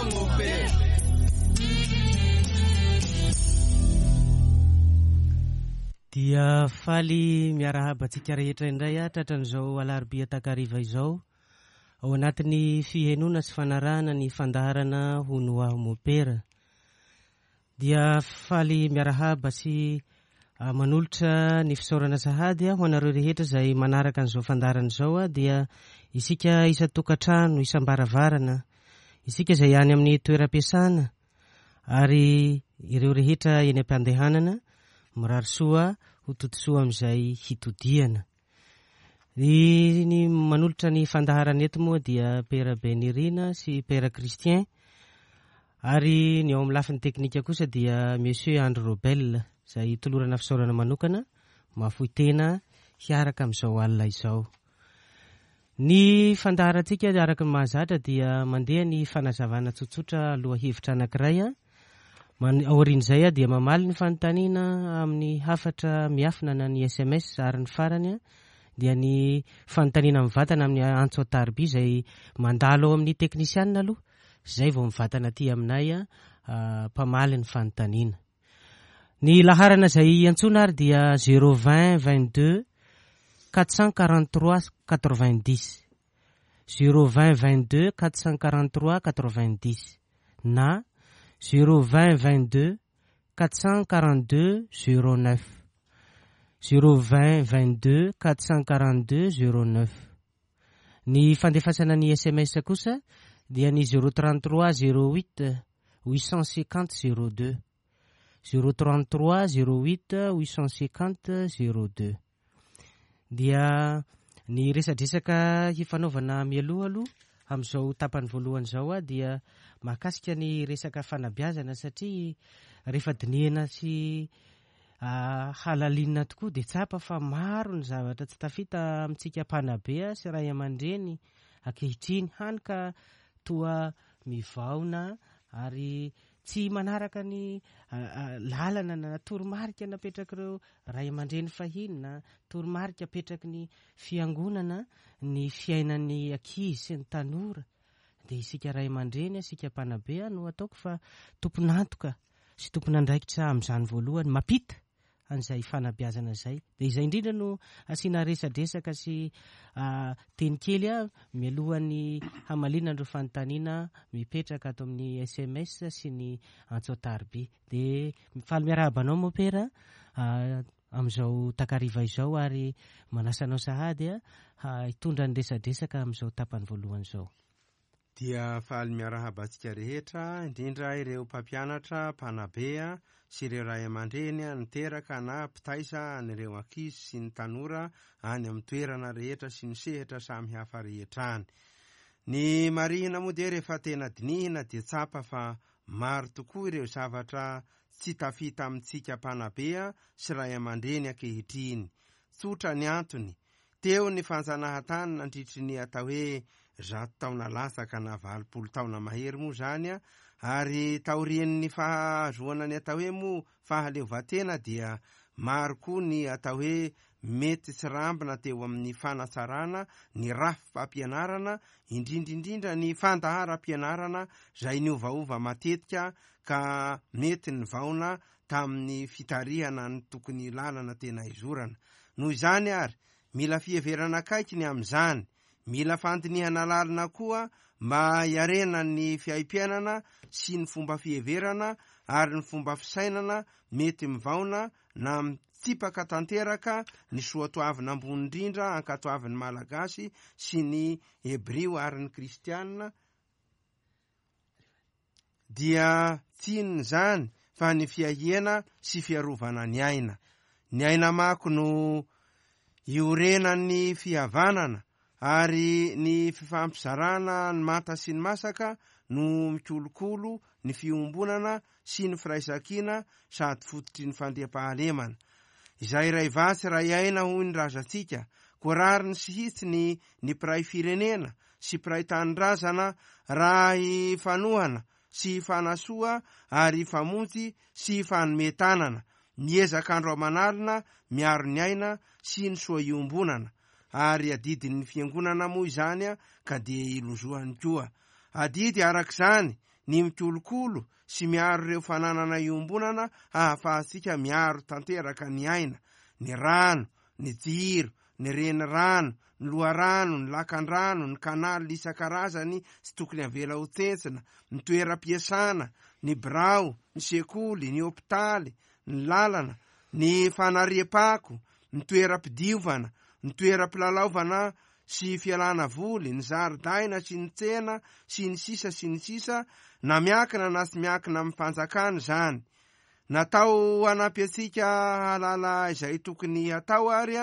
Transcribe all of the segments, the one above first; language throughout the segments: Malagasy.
aho mopera. Dia faly miarahaba antsika rehetra indray aho tratran'izao alarobia takariva izao ao anatin'ny fihenoana sy fanarahana ny fandaharana Hono Aho Mopera. Dia faly miarahaba sy manolotra ny fisaorana sahady ho anareo rehetra izay manaraka an'izao fandaharana izao dia isika isan-tokantrano, isam-baravarana, isika izay any amin'ny toeram-piasana ary ireo rehetra eny am-pandehanana, mirary soa ho todisoa amin'izay hitodihana. Ny ny manolotra ny fandaharana eto moa dia Père Benirina sy Père Christian ary ny ao amin'ny lafiny teknika kosa dia Monsieur Andry Robel izay tolorana fisaorana manokana mahafoy tena hiaraka amin'izao alina izao. Ny fandaharantsika araka ny mahazatra dia mandeha ny fanazavana tsotsotra lohahevitra anankiray. Aorian'izay dia mamaly ny fanontaniana amin'ny hafatra miafina na ny sms ary ny farany dia ny fanontaniana mivantana amin'ny antso an-tariby izay mandalo ao amin'ny teknisianina aloha izay vao mivantana aty aminay mpamaly ny fanontaniana. Ny laharana izay iantsoana ary dia zéro vingt 22 443 90. Zéro vingt 22 443 90 na zéro vingt 22 442 09. Zéro vingt 22 442 09. Ny fandefasana ny sms kosa dia ny zéro 33 08 850 02. Zéro 33 08 850 02. Dia ny resadresaka hifanaovana mialoha aloha amin'izao tapany voalohany izao dia mahakasika ny resaka fanabeazana satria rehefa dinihana sy halalinina tokoa dia tsapa fa maro ny zavatra tsy tafita amintsika mpanabe sy ray aman-dreny ankehitriny, hany ka toa mivaona ary tsy manaraka ny lalana na toromarika napetrak'ireo ray aman-dreny fahiny na toromarika apetraky ny fiangonana ny fiainan'ny ankizy sy ny tanora. Dia isika ray aman-dreny, isika mpanabe no ataoko fa tompon'antoka sy tompon'andraikitra amin'izany voalohany, mampita an'izay fanabeazana izay. Dia izay indrindra no asiana resadresaka sy teny kely mialohan'ny hamaliana an'ireo fanontaniana mipetraka ato amin'ny sms sy ny antso an-tariby. Dia faly miarahaba anao Mopera amin'izao takariva izao ary manasa anao sahady hitondra ny resadresaka amin'izao tapany voalohany izao. Dia faly miarahaba antsika rehetra, indrindra ireo mpampianatra, mpanabe sy ireo ray aman-dreny niteraka na mpitaiza an'ireo ankizy sy ny tanora any amin'ny toerana rehetra sy ny sehatra samy hafa rehetra any. Ny marihina moa dia rehefa tena dinihina dia tsapa fa maro tokoa ireo zavatra tsy tafita amintsika mpanabe sy ray aman-dreny ankehitriny. Tsotra ny antony, Teo ny fanjanahantany nandritry ny atao hoe 100 taona latsaka na 80 taona mahery moa izany, ary taorian'ny fahazoana ny atao hoe moa fahaleovantena dia maro koa ny atao hoe mety tsirambina teo amin'ny fanatsarana ny rafi-pampianarana, indrindra indrindra ny fandaharam-pianarana izay niovaova matetika ka mety nivaona tamin'ny fitarihana ny tokony lalana tena hizorana. Noho izany ary, mila fiheverana akaiky ny amin'izany, mila fandinihana lalina koa mba hiarenan'ny fiaimpiainana sy ny fomba fiheverana ary ny fomba fisainana mety mivaona na mitsipaka tanteraka ny soatoavina ambony indrindra ankatoavin'ny Malagasy sy ny Hebrio ary ny Kristiana, dia tsy inona izany fa ny fiahiana sy fiarovana ny aina. Ny aina mako no iorenan'ny fihavanana ary ny fifampizarana ny manta sy ny masaka no mikolokolo ny fiombonana sy ny firaisankina sady fototry ny fandriampahalemana. Izay iray vatsy iray aina hoy ny razantsika, koa rariny sy hitsiny ny mpiray firenena sy mpiray tanindrazana raha hifanohana sy hifanasoa ary hifamonjy sy hifanome tanana, miezaka andro aman'alina miaro ny aina sy ny soa iombonana, ary adidin'ny fiangonana moa izany ka dia ilozohany koa. Adidy araka izany ny mikolokolo sy miaro ireo fananana iombonana hahafahantsika miaro tanteraka ny aina, ny rano, ny jiro, ny renirano, ny loharano, ny lakandrano, ny canal isan-karazany tsy tokony avela ho tsentsina, ny toeram-piasana, ny birao, ny sekoly, ny hopitaly, ny lalana, ny fanariam-pako, ny toeram-pidiovana, ny toeram-pilalaovana sy fialana voly, ny zaridaina sy ny tsena, sy ny sisa sy ny sisa, na miankina na tsy miankina amin'ny fanjakana izany. Natao hanampy antsika hahalala izay tokony hatao ary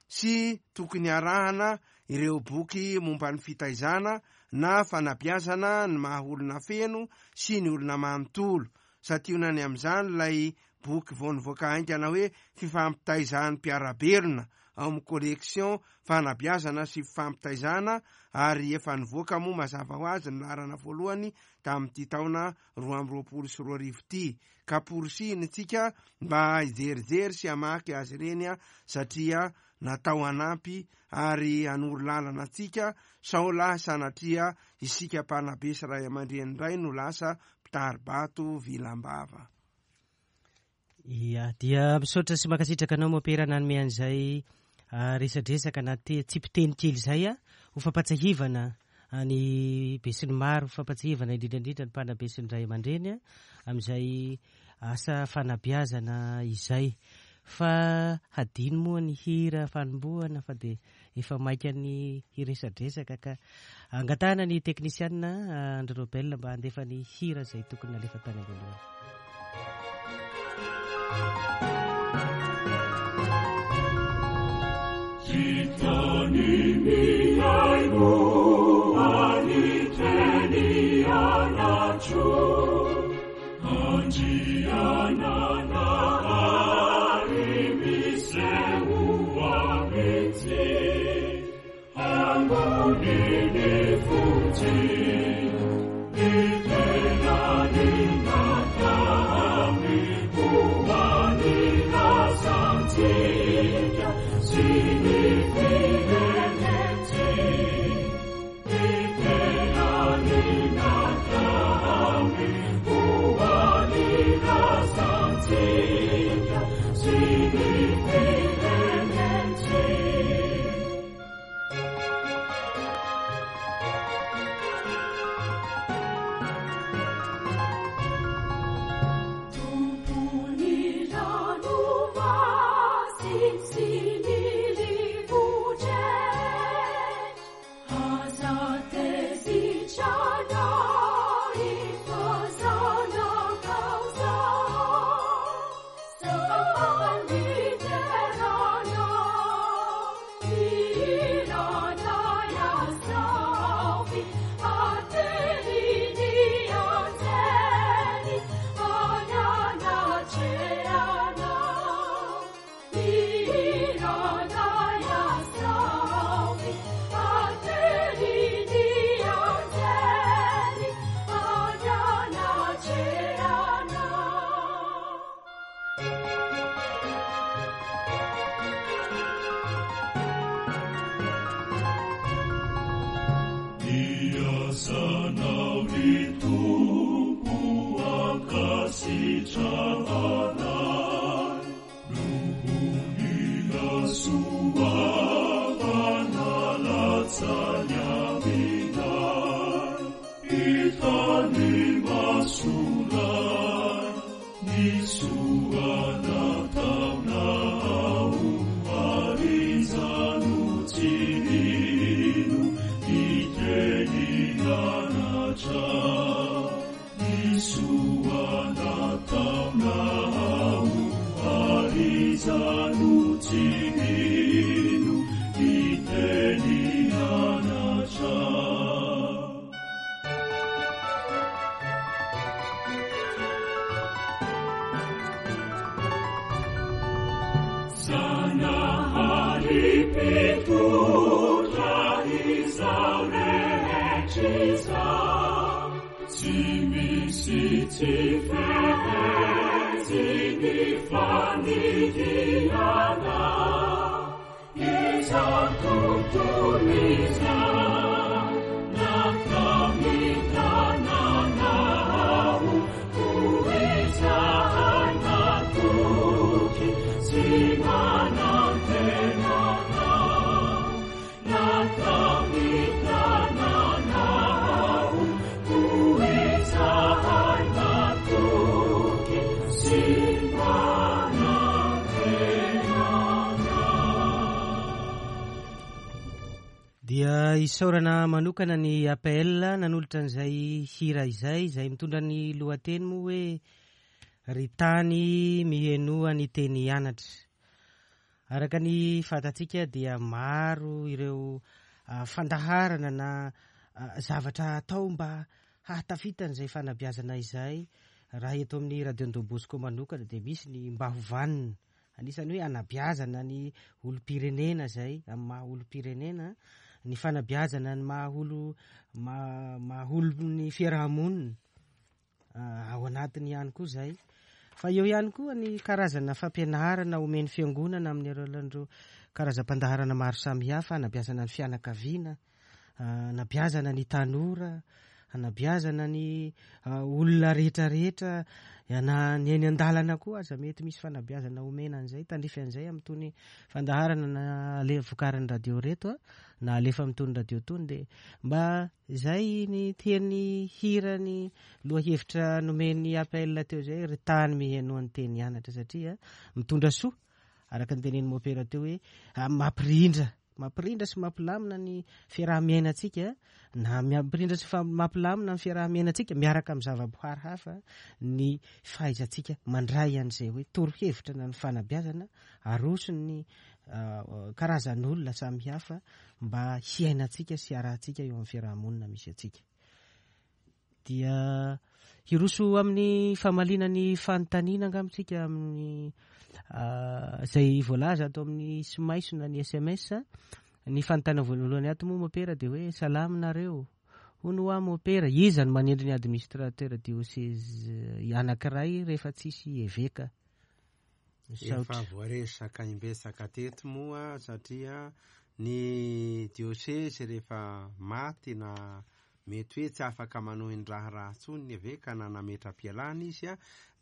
sy tokony harahana ireo boky momba ny fitaizana na fanabeazana ny maha olona feno sy ny olona manontolo. Santionany amin'izany ilay boky vao nivoaka haingana hoe Fifampitaizan'ny mpiara-belona ao amin'ny collection Fanabeazana sy Fifampitaizana ary efa nivoaka moa mazava ho azy ny laharana voalohany tamin'ity taona 2022 ity ka porisihina isika mba hijerijery sy hamaky azy ireny satria natao hanampy ary hanoro lalana antsika sao lahy sanatria isika mpanabe sy ray aman-dreny indray no lasa mpitari-bato vilam-bava. Ia, dia misaotra sy mankasitraka anao Mopera nanome an'izay resadresaka na tsipiteny kely izay ho fampatsiahivana ny besinimaro, fampatsiahivana indrindra indrindra ny mpanabe sy ny ray aman-dreny amin'izay asa fanabeazana izay. Fa hadino moa ny hira fanombohana fa dia efa maika ny hiresadresaka ka angatahana ny teknisianina Andry Robel mba handefa ny hira izay tokony nalefa tany am-boalohany. Dia isaorana manokana ny APL nanolotra an'izay hira izay, izay mitondra ny lohateny moa hoe Ry tany mihenoa ny teny hianatra. Araka ny fantatsika dia maro ireo fandaharana na zavatra atao mba hahatafita an'izay fanabeazana izay. Raha eto amin'ny Radio Don Bosco manokana dia misy ny mba ho vanona. Anisan'ny hoe anabeazana ny olom-pirenena izay amin'ny maha olom-pirenena, ny fanabeazana ny maha olo maha olon'ny fiaraha-monina ao anatiny ihany koa izay. Fa eo ihany koa ny karazana fampianarana omen'ny fiangonana amin'ny alalan'ireo karazam-pandaharana maro samihafa, anabeazana ny fianakaviana, Anabeazana ny tanora, anabeazana ny olona rehetra rehetra, na ny eny an-dalana koa aza mety misy fanabeazana omena an'izay, tandrify an'izay amin'itony fandaharana na ale- vokarin'ny radio ireto a, na alefa amin'itony radio itony dia mba izay ny teny hira ny lohahevitra nomen'ny APL teo izay, ry tany mihenoa ny teny hianatra satria mitondra soa araka ny tenenin'i Mopera teo hoe mampirindra Mampirindra sy mampilamina ny fiaraha-miainantsika na mampirindra sy mampilamina ny fiaraha-miainantsika miaraka amin'ny zavaboary hafa ny fahaizantsika mandray an'izay hoe torohevitra na ny fanabeazana aroson'ny karazan'olona samihafa mba hiainantsika sy hiarahantsika eo amin'ny fiaraha-monina misy antsika. Dia hiroso amin'ny famaliana ny fanontaniana angamba isika amin'ny izay voalaza ato amin'ny smaiso na ny sms. Ny fanontaniana voalohany ato moa mopera dia hoe salama nareo. Hono hoa mopera, iza no manendry ny administrateur diocèse anankiray rehefa tsisy eveka? Efa voaresaka imbetsaka teto moa satria ny diocèse rehefa maty na mety hoe tsy afaka manohy ny raharaha intsony ny eveka na nametra-pialana izy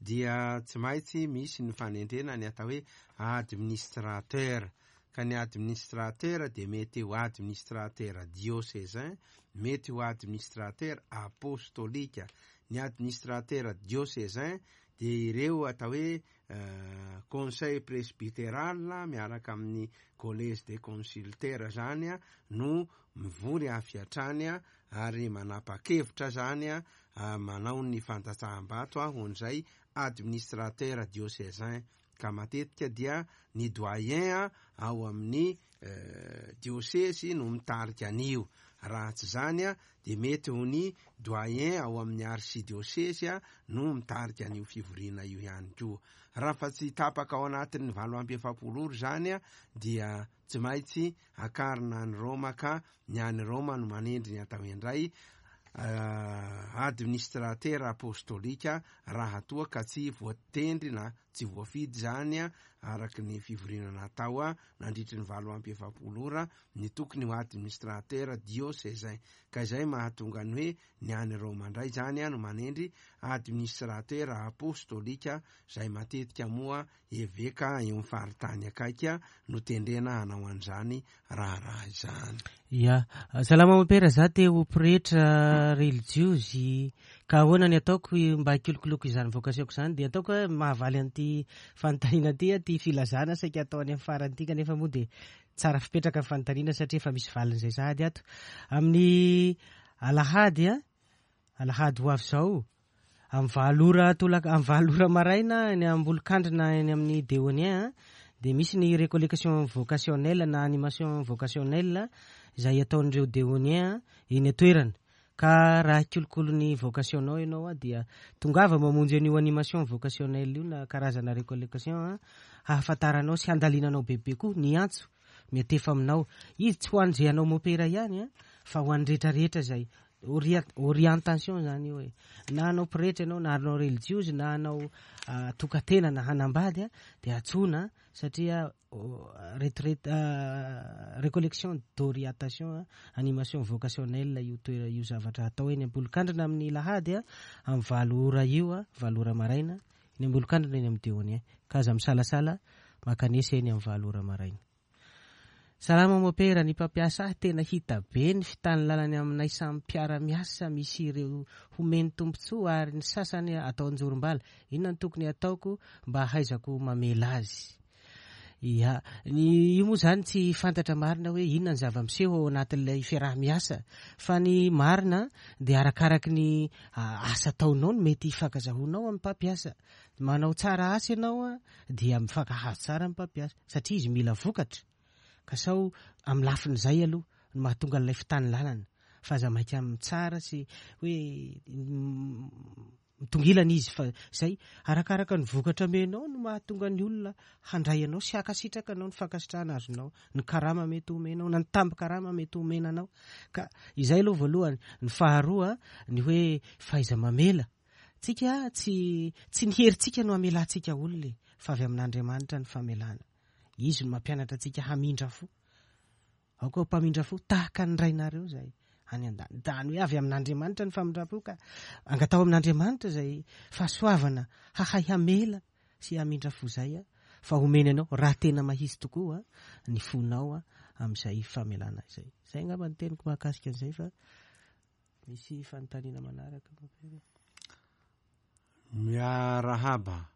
dia tsy maintsy misy ny fanendrena ny atao hoe administrateur. Ka ny administrateur dia mety ho administrateur diocésain, mety ho administrateur apostolika. Ny administrateur diocésain dia ireo atao hoe conseil presbyteral miaraka amin'ny collège des consulteurs zany no mivory avy hatrany ary manapa-kevitra zany manao ny fandatsaham-bato ho an'izay administrateur diocésain ka matetika dia ny doyen ao amin'ny diosezy no mitarika an'io. Raha tsy izany dia mety ho ny doyen ao amin'ny arsidiosezy no mitarika an'io fivoriana io ihany koa. Raha fa tsy tapaka ao anatin'ny 48 ora izany dia tsy maintsy akarina any Roma ka ny any Roma no manendry ny atao indray administratera apostolika raha toa ka tsy voatendry na tsy voafidy izany araka ny fivoriana natao nandritry ny 48 ora ny tokony ho administrateur diocésain. Ka izay mahatonga ny hoe ny any Roma indray izany no manendry administrateur apostolika izay matetika moa eveka eo amin'ny faritany akaiky no tendrena hanao an'izany raharaha izany. Ya. Salama mompera, za te ho pretra relijiozy ka ahoana ny ataoko mba hikolokoloako izany vocation-ko izany? Dia ataoko hoe mahavaly an'ity fanontaniana ity aho, ity filazana saika atao any amin'ny farany ity kanefa moa dia tsara fipetraka ny fanontaniana satria efa misy valiny izay sahady ato. Amin'ny alahady, alahady ho avy izao, Amin'ny valo ora tolak-, amin'ny valo ora maraina eny Ambolokandrina eny amin'ny Deonien dia misy ny recollection vocationnelle na animation vocationnelle izay ataon'ireo Deonien eny an-toerana. Ka raha hikolokolo ny vocation-nao ianao dia tongava mamonjy an'io animation vocationnelle io na karazana recollection hahafantaranao sy handalinanao bebe koa ny antso miantefa aminao. Izy tsy ho an'izay hanao mopera ihany fa ho an'ny rehetra rehetra izay orientation zany io e. Na hanao pretra ianao, na hanao relijiozy, na hanao tokantena, na hanambady dia antsoina satria retraite, recollection d'orientation, animation vocationnelle io toera io zavatra atao eny Ambolokandrina amin'ny lahady amin'ny 8 ora io, 8 ora maraina eny Ambolokandrina eny amin'ny Deonien. Ka aza misalasala mankanesa eny amin'ny 8 ora maraina. Salama mopera, ny mpampiasa ahy tena hita be ny fitanilalany aminay samy mpiara miasa misy ireo homeny tombotsoa ary ny sasany atao anjorombala, inona no tokony hataoko mba hahaizako mamela azy? Ia, ny io moa izany tsy fantatra marina hoe inona ny zava-miseho ao anatin'ilay fiaraha-miasa fa ny marina dia arakaraky ny asa ataonao no mety hifankazahoanao amin'ny mpampiasa. Manao tsara asa ianao dia mifankahazo tsara amin'ny mpampiasa satria izy mila vokatra ka sao amin'ny lafin'izay aloha no mahatonga an'ilay fitanilalana fa aza maika mitsara sy hoe mitongilana izy fa izay arakaraka ny vokatra amenao no mahatonga ny olona handray anao sy hankasitraka anao, ny fankasitrahana azonao, ny karama mety homenao na ny tambin-karama mety homena anao. Ka izay aloha voalohany. Ny faharoa ny hoe fahaiza-mamela. Tsika tsy tsy ny herintsika no hamelantsika olona e, fa avy amin'Andriamanitra ny famelana. Izy no mampianatra antsika hamindra fo. Aoka ho mpamindra fo tahaka ny Rainareo izay any an-danitra. Izany hoe avy amin'Andriamanitra ny famindram-po ka angataho amin'Andriamanitra izay fahasoavana hahay hamela sy hamindra fo izay fa homeny anao raha tena mahitsy tokoa ny fonao amin'izay famelana izay. Izay angamba ny teniko mahakasika an'izay fa misy fanontaniana manaraka. Miarahaba.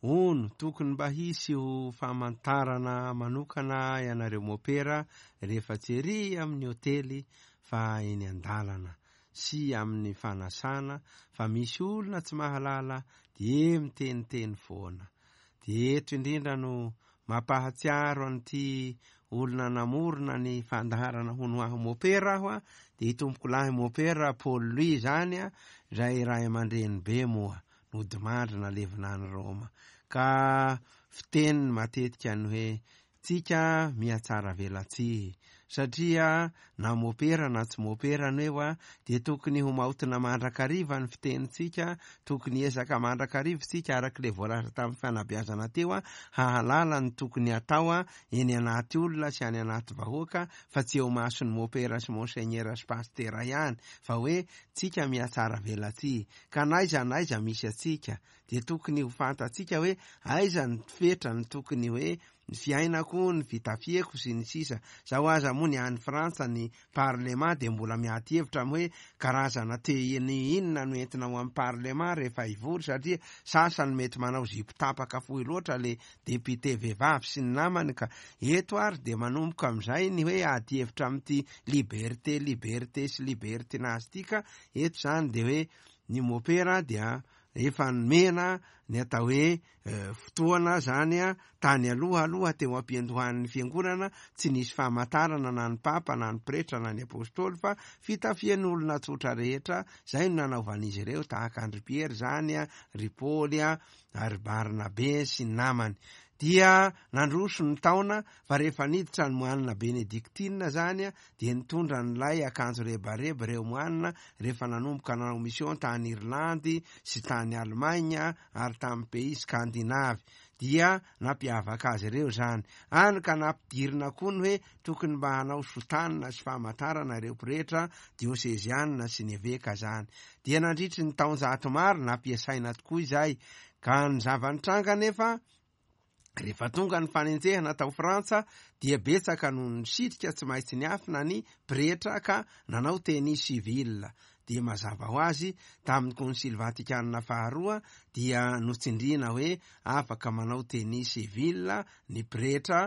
Hono, tokony mba hisy ho famantarana manokana ianareo mopera rehefa tsy ery amin'ny hotely fa eny an-dalana sy amin'ny fanasana fa misy olona tsy mahalala dia miteniteny foana. Dia eto indrindra no mampahatsiaro an'ity olona namorona ny fandaharana hono aho mopera aho dia i tompokolahy mopera Paul Louis izany izay ray aman-dreny be moa. nodimandry nalevina any Roma. Ka fiteniny matetika ny hoe, tsika mihatsara velatsihy. Satria na mopera na tsy mopera no eo dia tokony ho maotina mandrakariva ny fitenintsika, tokony hiezaka mandrakariva isika araka ilay voalaza tamin'ny fanabeazana teo hahalala ny tokony hatao eny anaty olona sy any anaty vahoaka fa tsy eo imason'ny mopera sy monseignera sy pasitera ihany fa hoe tsika mihatsara velatsihy. Ka n'aiza n'aiza misy antsika dia tokony ho fantatsika hoe aiza ny fetra ny tokony hoe ny fiainako, ny fitafiako sy ny sisa. Zao aza moa ny any Frantsa ny parlement dia mbola miady hevitra amin'ny hoe karazana tenue inona no entina ao amin'ny parlement rehefa hivory satria sasany mety manao zipo tapaka fohy loatra le député vehivavy sy ny namany ka eto ary dia manomboka amin'izay ny hoe ady hevitra amin'ity liberté liberté sy libertinage ity ka Eto izany dia hoe ny mopera dia efa nomena ny atao hoe fotoana izany tany aloha aloha teo am-piandohan'ny fiangonana, tsy nisy famantarana na ny papa na ny pretra na ny apostoly fa fitafian'ny olona tsotra rehetra, izay no nanaovan'izy ireo tahaka an-dry Piera izany, ry Paoly ary Barnabe sy ny namany. Dia nandroso ny taona fa rehefa niditra ny moanina benedictine izany dia nitondra an'ilay akanjo rebareba ireo moanina rehefa nanomboka nanao mission tany Irlandy sy tany Allemagne ary tamin'ny pays scandinave dia nampiavaka azy ireo izany. Any ka nampidirina koa ny hoe tokony mba hanao sotanina sy famantarana ireo pretra diosezianina sy ny eveka izany. Dia nandritry ny taonjato maro nampiasaina tokoa izay ka ny zava-nitranga anefa Rehefa tonga ny fanenjehana tao Frantsa dia betsaka no nisitrika tsy maintsy niafina ny pretra ka nanao tenue civile. Dia mazava ho azy tamin'ny Konsily Vatikana faharoa dia notsindriana hoe afaka manao tenue civile ny pretra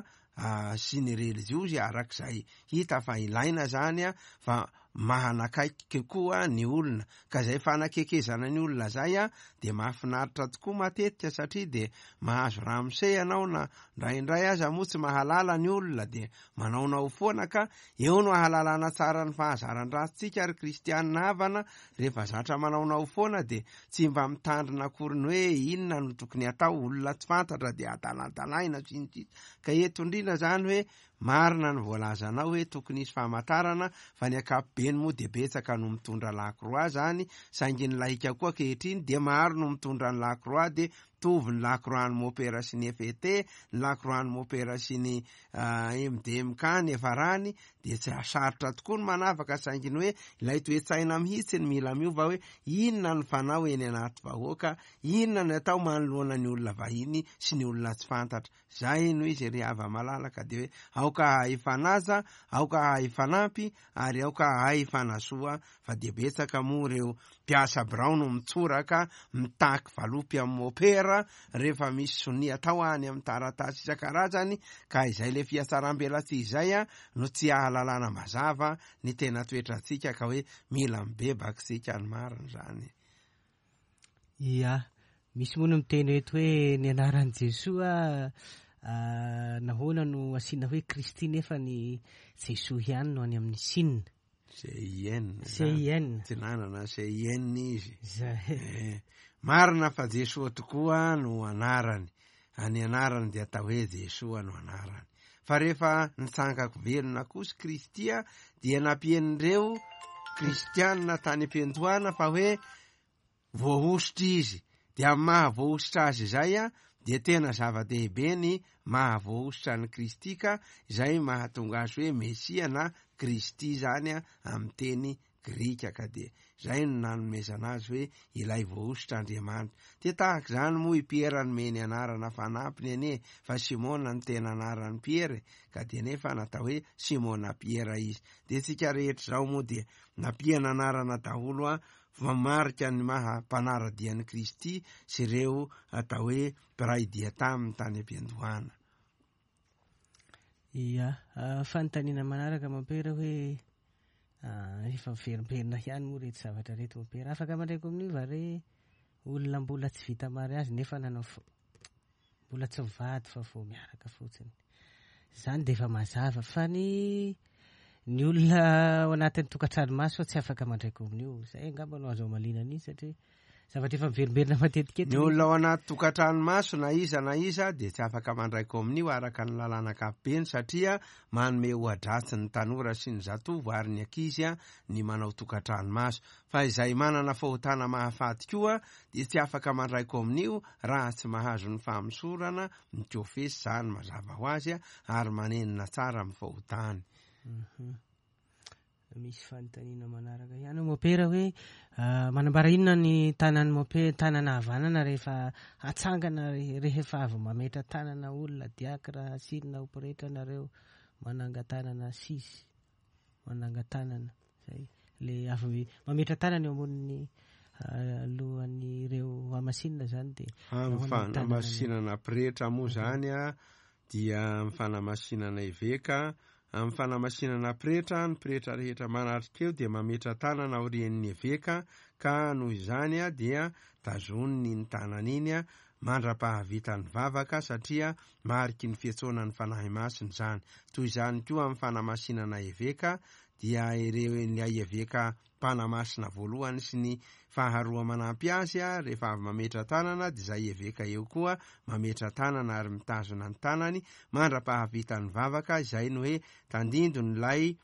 sy ny relijiozy arak'izay hita fa ilaina izany fa mahanakaiky koa ny olona ka izay fanakekezana ny olona izay dia mahafinaritra tokoa matetika satria dia mahazo ramose ianao na indraindray aza moa tsy mahalala ny olona dia manaonao foana ka eo no ahalalana tsara ny fahazaran-dratsintsika ry kristianina havana rehefa zatra manaonao foana dia tsy mba mitandrina akory ny hoe inona no tokony atao olona tsy fantatra dia adaladalaina sy ny sisa ka eto indrindra izany hoe Marina ny voalazanao hoe tokony hisy famantarana fa ny ankapobeny moa dia betsaka no mitondra lakroa zany saingy ny laika koa ankehitriny dia maro no mitondra ny lakroa dia mitovy ny lakroa ny mopera sy ny FET, ny lakroa ny mopera sy ny MDMK ny efarany dia tsy sarotra tokoa ny manavaka saingy ny hoe ilay toe-tsaina mihitsy ny mila miova hoe inona ny fanao eny anaty vahoaka, inona ny atao manoloana ny olona vahiny sy ny olona tsy fantatra. Zay no izy ry hava-malala ka dia hoe aoka hahay hifanaja, aoka hahay hifanampy ary aoka hahay hifanasoa fa dia betsaka moa ireo mpiasa birao no mitsoraka mitaky valopy amin'ny mopera. ara rehefa misy sonia atao any amin'ny taratasy isan-karazany ka izay le fihatsaram-belatsihy izay no tsy ahalalana mazava ny tena toetrantsika ka hoe mila mibebaka isika ny marina izany. Ia, misy moa no miteny eto hoe ny anaran'i Jesoa nahoana no asiana hoe Kristy nefa ny Jesoa ihany no any amin'ny Sina. CIN. CIN. Tsy nanana CIN izy. Zay. Eh, marina fa Jesoa tokoa no anarany. Ny anarany dia atao hoe Jesoa no anarany. Fa rehefa nitsangako velona kosa Kristy dia nampian'ireo kristianina tany am-piandohana fa hoe voahosotra izy. Dia amin'ny maha voahosotra azy izay dia tena zava-dehibe ny maha voahosotra an'i Kristy ka izay mahatonga azy hoe Mesia na Kristy izany amin'ny teny grika ka dia izay no nanomezana azy hoe ilay voahosotra Andriamanitra. Dia tahaka izany moa i Piera nomeny anarana fanampiny anie fa Simona no tena anaran'i Piera e, ka dia nefa natao hoe Simona Piera izy. Dia tsika rehetra izao moa dia nampiana anarana daholo a mamarika ny maha mpanara-dia an'i Kristy sy ireo atao hoe mpiray dia taminy tany am-piandohana. Ia, fanontaniana manaraka mompera hoe efa miverimberina ihany moa reto zavatra reto mompera. Afaka mandray kominio va re olona mbola tsy vita mariazy nefa nanao mbola tsy mivady fa vao miaraka fotsiny. Izany dia efa mazava fa ny ny olona ao anatin'ny tokantrano maso tsy afaka mandray kominio. Izay angamba no azo amaliana an'iny satria zavatra efa miverimberina matetika eto. Ny olona ao anaty tokantrano maso na iza na iza dia tsy afaka mandray kominio araka ny lalàna ankapobeny satria manome oha-dratsy ny tanora sy ny zatovo ary ny ankizy ny manao tokantrano maso. Fa izay manana fahotana mahafaty koa dia tsy afaka mandray kominio raha tsy mahazo ny famosorana ny kofesy izany mazava ho azy ary manenina tsara amin'ny fahotany. Misy fanontaniana manaraka ihany ao mopera hoe manambara inona ny tanan'ny mopera, tanana havanana rehefa hatsangana rehefa avy mametra tanana olona diakra asinina ho pretra nareo mananga-tanana sisy mananga-tanana zay le avy mametra tanana eo ambonin'ny lohan'ireo hamasinina zany dia Amin'ny fanamasinana pretra moa zany a dia amin'ny fanamasinana eveka, amin'ny fanamasinana pretra, ny pretra rehetra manatrika eo dia mametra tanana aorian'ny eveka ka noho izany dia tazoniny iny tanana iny mandra-pahavita ny vavaka satria mariky ny fiantsoana ny Fanahy Masina izany. Toy izany koa amin'ny fanamasinana eveka dia ireo ilay eveka mpanamasina voalohany sy ny faharoa manampy azy rehefa avy mametra tanana dia izay eveka eo koa mametra tanana ary mitazona ny tanany mandra-pahavita ny vavaka, izay no hoe tandindon'ilay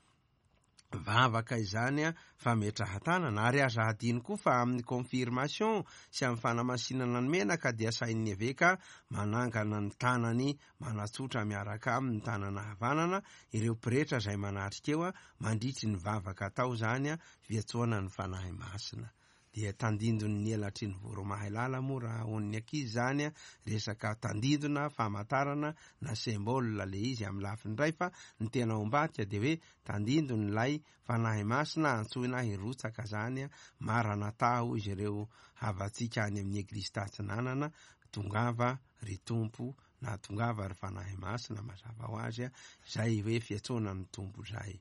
vavaka izany fametrahan-tanana. Ary aza hadino koa fa amin'ny confirmation sy amin'ny fanamasinana ny menaka dia asain'ny eveka manangana ny tanany manatsotra miaraka aminy ny tanana havanana ireo pretra izay manatrika eo mandritry ny vavaka atao izany fiantsoana ny Fanahy Masina. Dia tandindon'ny elatry ny voromahailala moa raha hoan'ny ankizy izany resaka tandindona, famantarana na symbole le izy amin'ny lafiny iray fa ny tena ao ambadika dia hoe tandindon'ilay Fanahy Masina antsoina hirotsaka izany Maranatha hoy izy ireo havantsika any amin'ny Eglizy Tatsinanana tongava ry Tompo na tongava ry Fanahy Masina mazava ho azy izay hoe fiantsoana ny Tompo izay.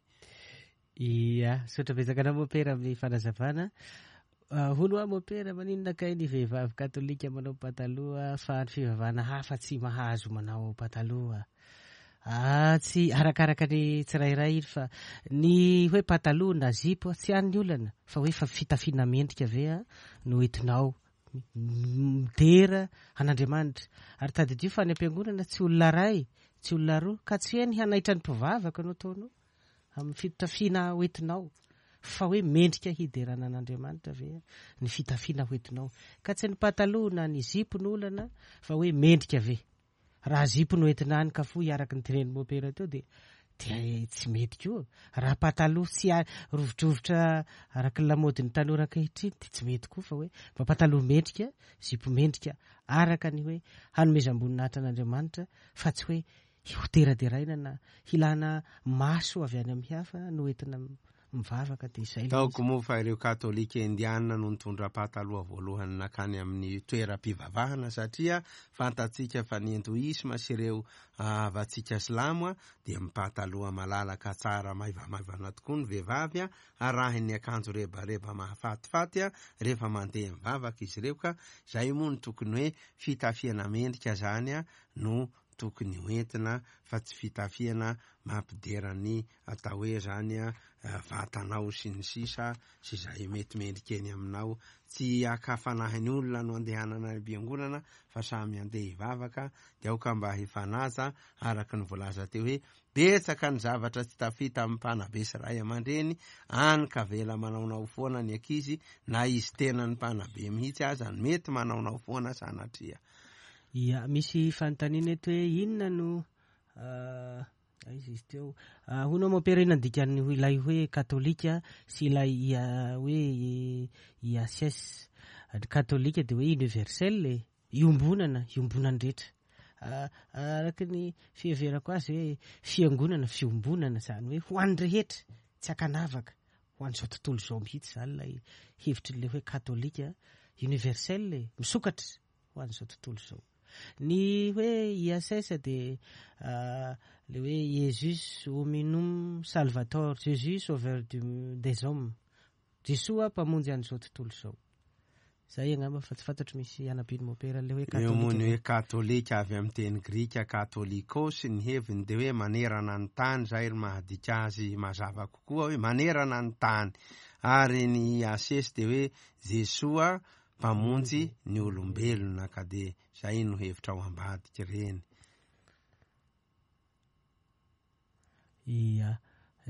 Ia, misaotra betsaka anao Mopera amin'ny fanazavana. Hono hoa Mopera, maninona kay ny vehivavy katolika manao pataloha fa ny fivavahana hafa tsy mahazo manao pataloha? Ah, tsy arakaraka ny tsirairay iny fa ny hoe pataloha na zipo tsy any ny olana fa hoe fa fitafiana mendrika ve no entinao midera an'Andriamanitra. Ary tadidio fa any am-piangonana tsy olona iray, tsy olona roa, ka tsy hoe ny hanaitra ny mpivavaka no ataonao amin'ny fitafiana hoentinao, fa hoe mendrika hiderana an'Andriamanitra ve ny fitafiana hoentinao. Ka tsy ny pataloha na ny zipo no olana fa hoe mendrika ve. Raha zipo no entina any ka fohy araka ny tenenin'i Mopera teo dia dia tsy mety koa. Raha pataloha tsy rovidrovitra araka ny lamaodin'ny tanora ankehitriny dia tsy mety koa fa hoe mba pataloha mendrika, zipo mendrika araka ny hoe hanomezam-boninahitra an'Andriamanitra fa tsy hoe hoderaderaina na hilana maso avy any amin'ny hafa no entina. mivavaka dia izay ilay izy. Ataoko moa fa ireo katolika indiana no nitondra pataloha voalohany nankany amin'ny toeram-pivavahana satria fantatsika fa ny hindoisma sy ireo havantsika silamo dia mipataloha malalaka tsara maivamaivana tokoa ny vehivavy arahin'ny akanjo rebareba mahafatifaty rehefa mandeha mivavaka izy ireo ka izay moa no tokony hoe fitafiana mendrika izany no tokony ho entina fa tsy fitafiana mampidera ny atao hoe zany vatanao sy ny sisa sy izay mety mendrika eny aminao. Tsy haka fanahy ny olona no andehanana any am-piangonana fa samy andeha hivavaka dia aoka mba hifanaja araka ny voalaza teo hoe betsaka ny zavatra tsy tafita amin'ny mpanabe sy ray aman-dreny any ka avela manaonao foana ny ankizy na izy tenany mpanabe mihitsy aza no mety manaonao foana sanatria. Ia, misy fanontaniana eto hoe inona no aiza izy teo? Hono aho mompera inona ny dikan'ny ilay hoe katolika sy ilay ia hoe IACS? Ny katolika dia hoe universel e, iombonana, iombonan'ny rehetra. Araka ny fiheverako azy hoe fiangonana, fiombonana izany hoe ho an'ny rehetra, tsy ankanavaka, ho an'izao tontolo izao mihitsy izany ilay hevitr'ilay hoe katolika, universel e, misokatra. ho an'izao tontolo izao. Ny hoe ISS dia le hoe Jesus hominum salvator, Jésus sauveur du, des hommes. Jesoa mpamonjy an'izao tontolo izao. Zay angamba fa tsy fantatro misy anampian'i Mopera le hoe Eo moa katolika ny ve. hoe katolika avy amin'ny teny grika katolikos, ny heviny dia hoe manerana ny tany, izay ry mahadika azy mazava kokoa hoe manerana ny tany. Ary ny IACS dia hoe Jesoa Mpamonjy ny olombelona ka dia zay no hevitra ao ambadika ireny. Ia.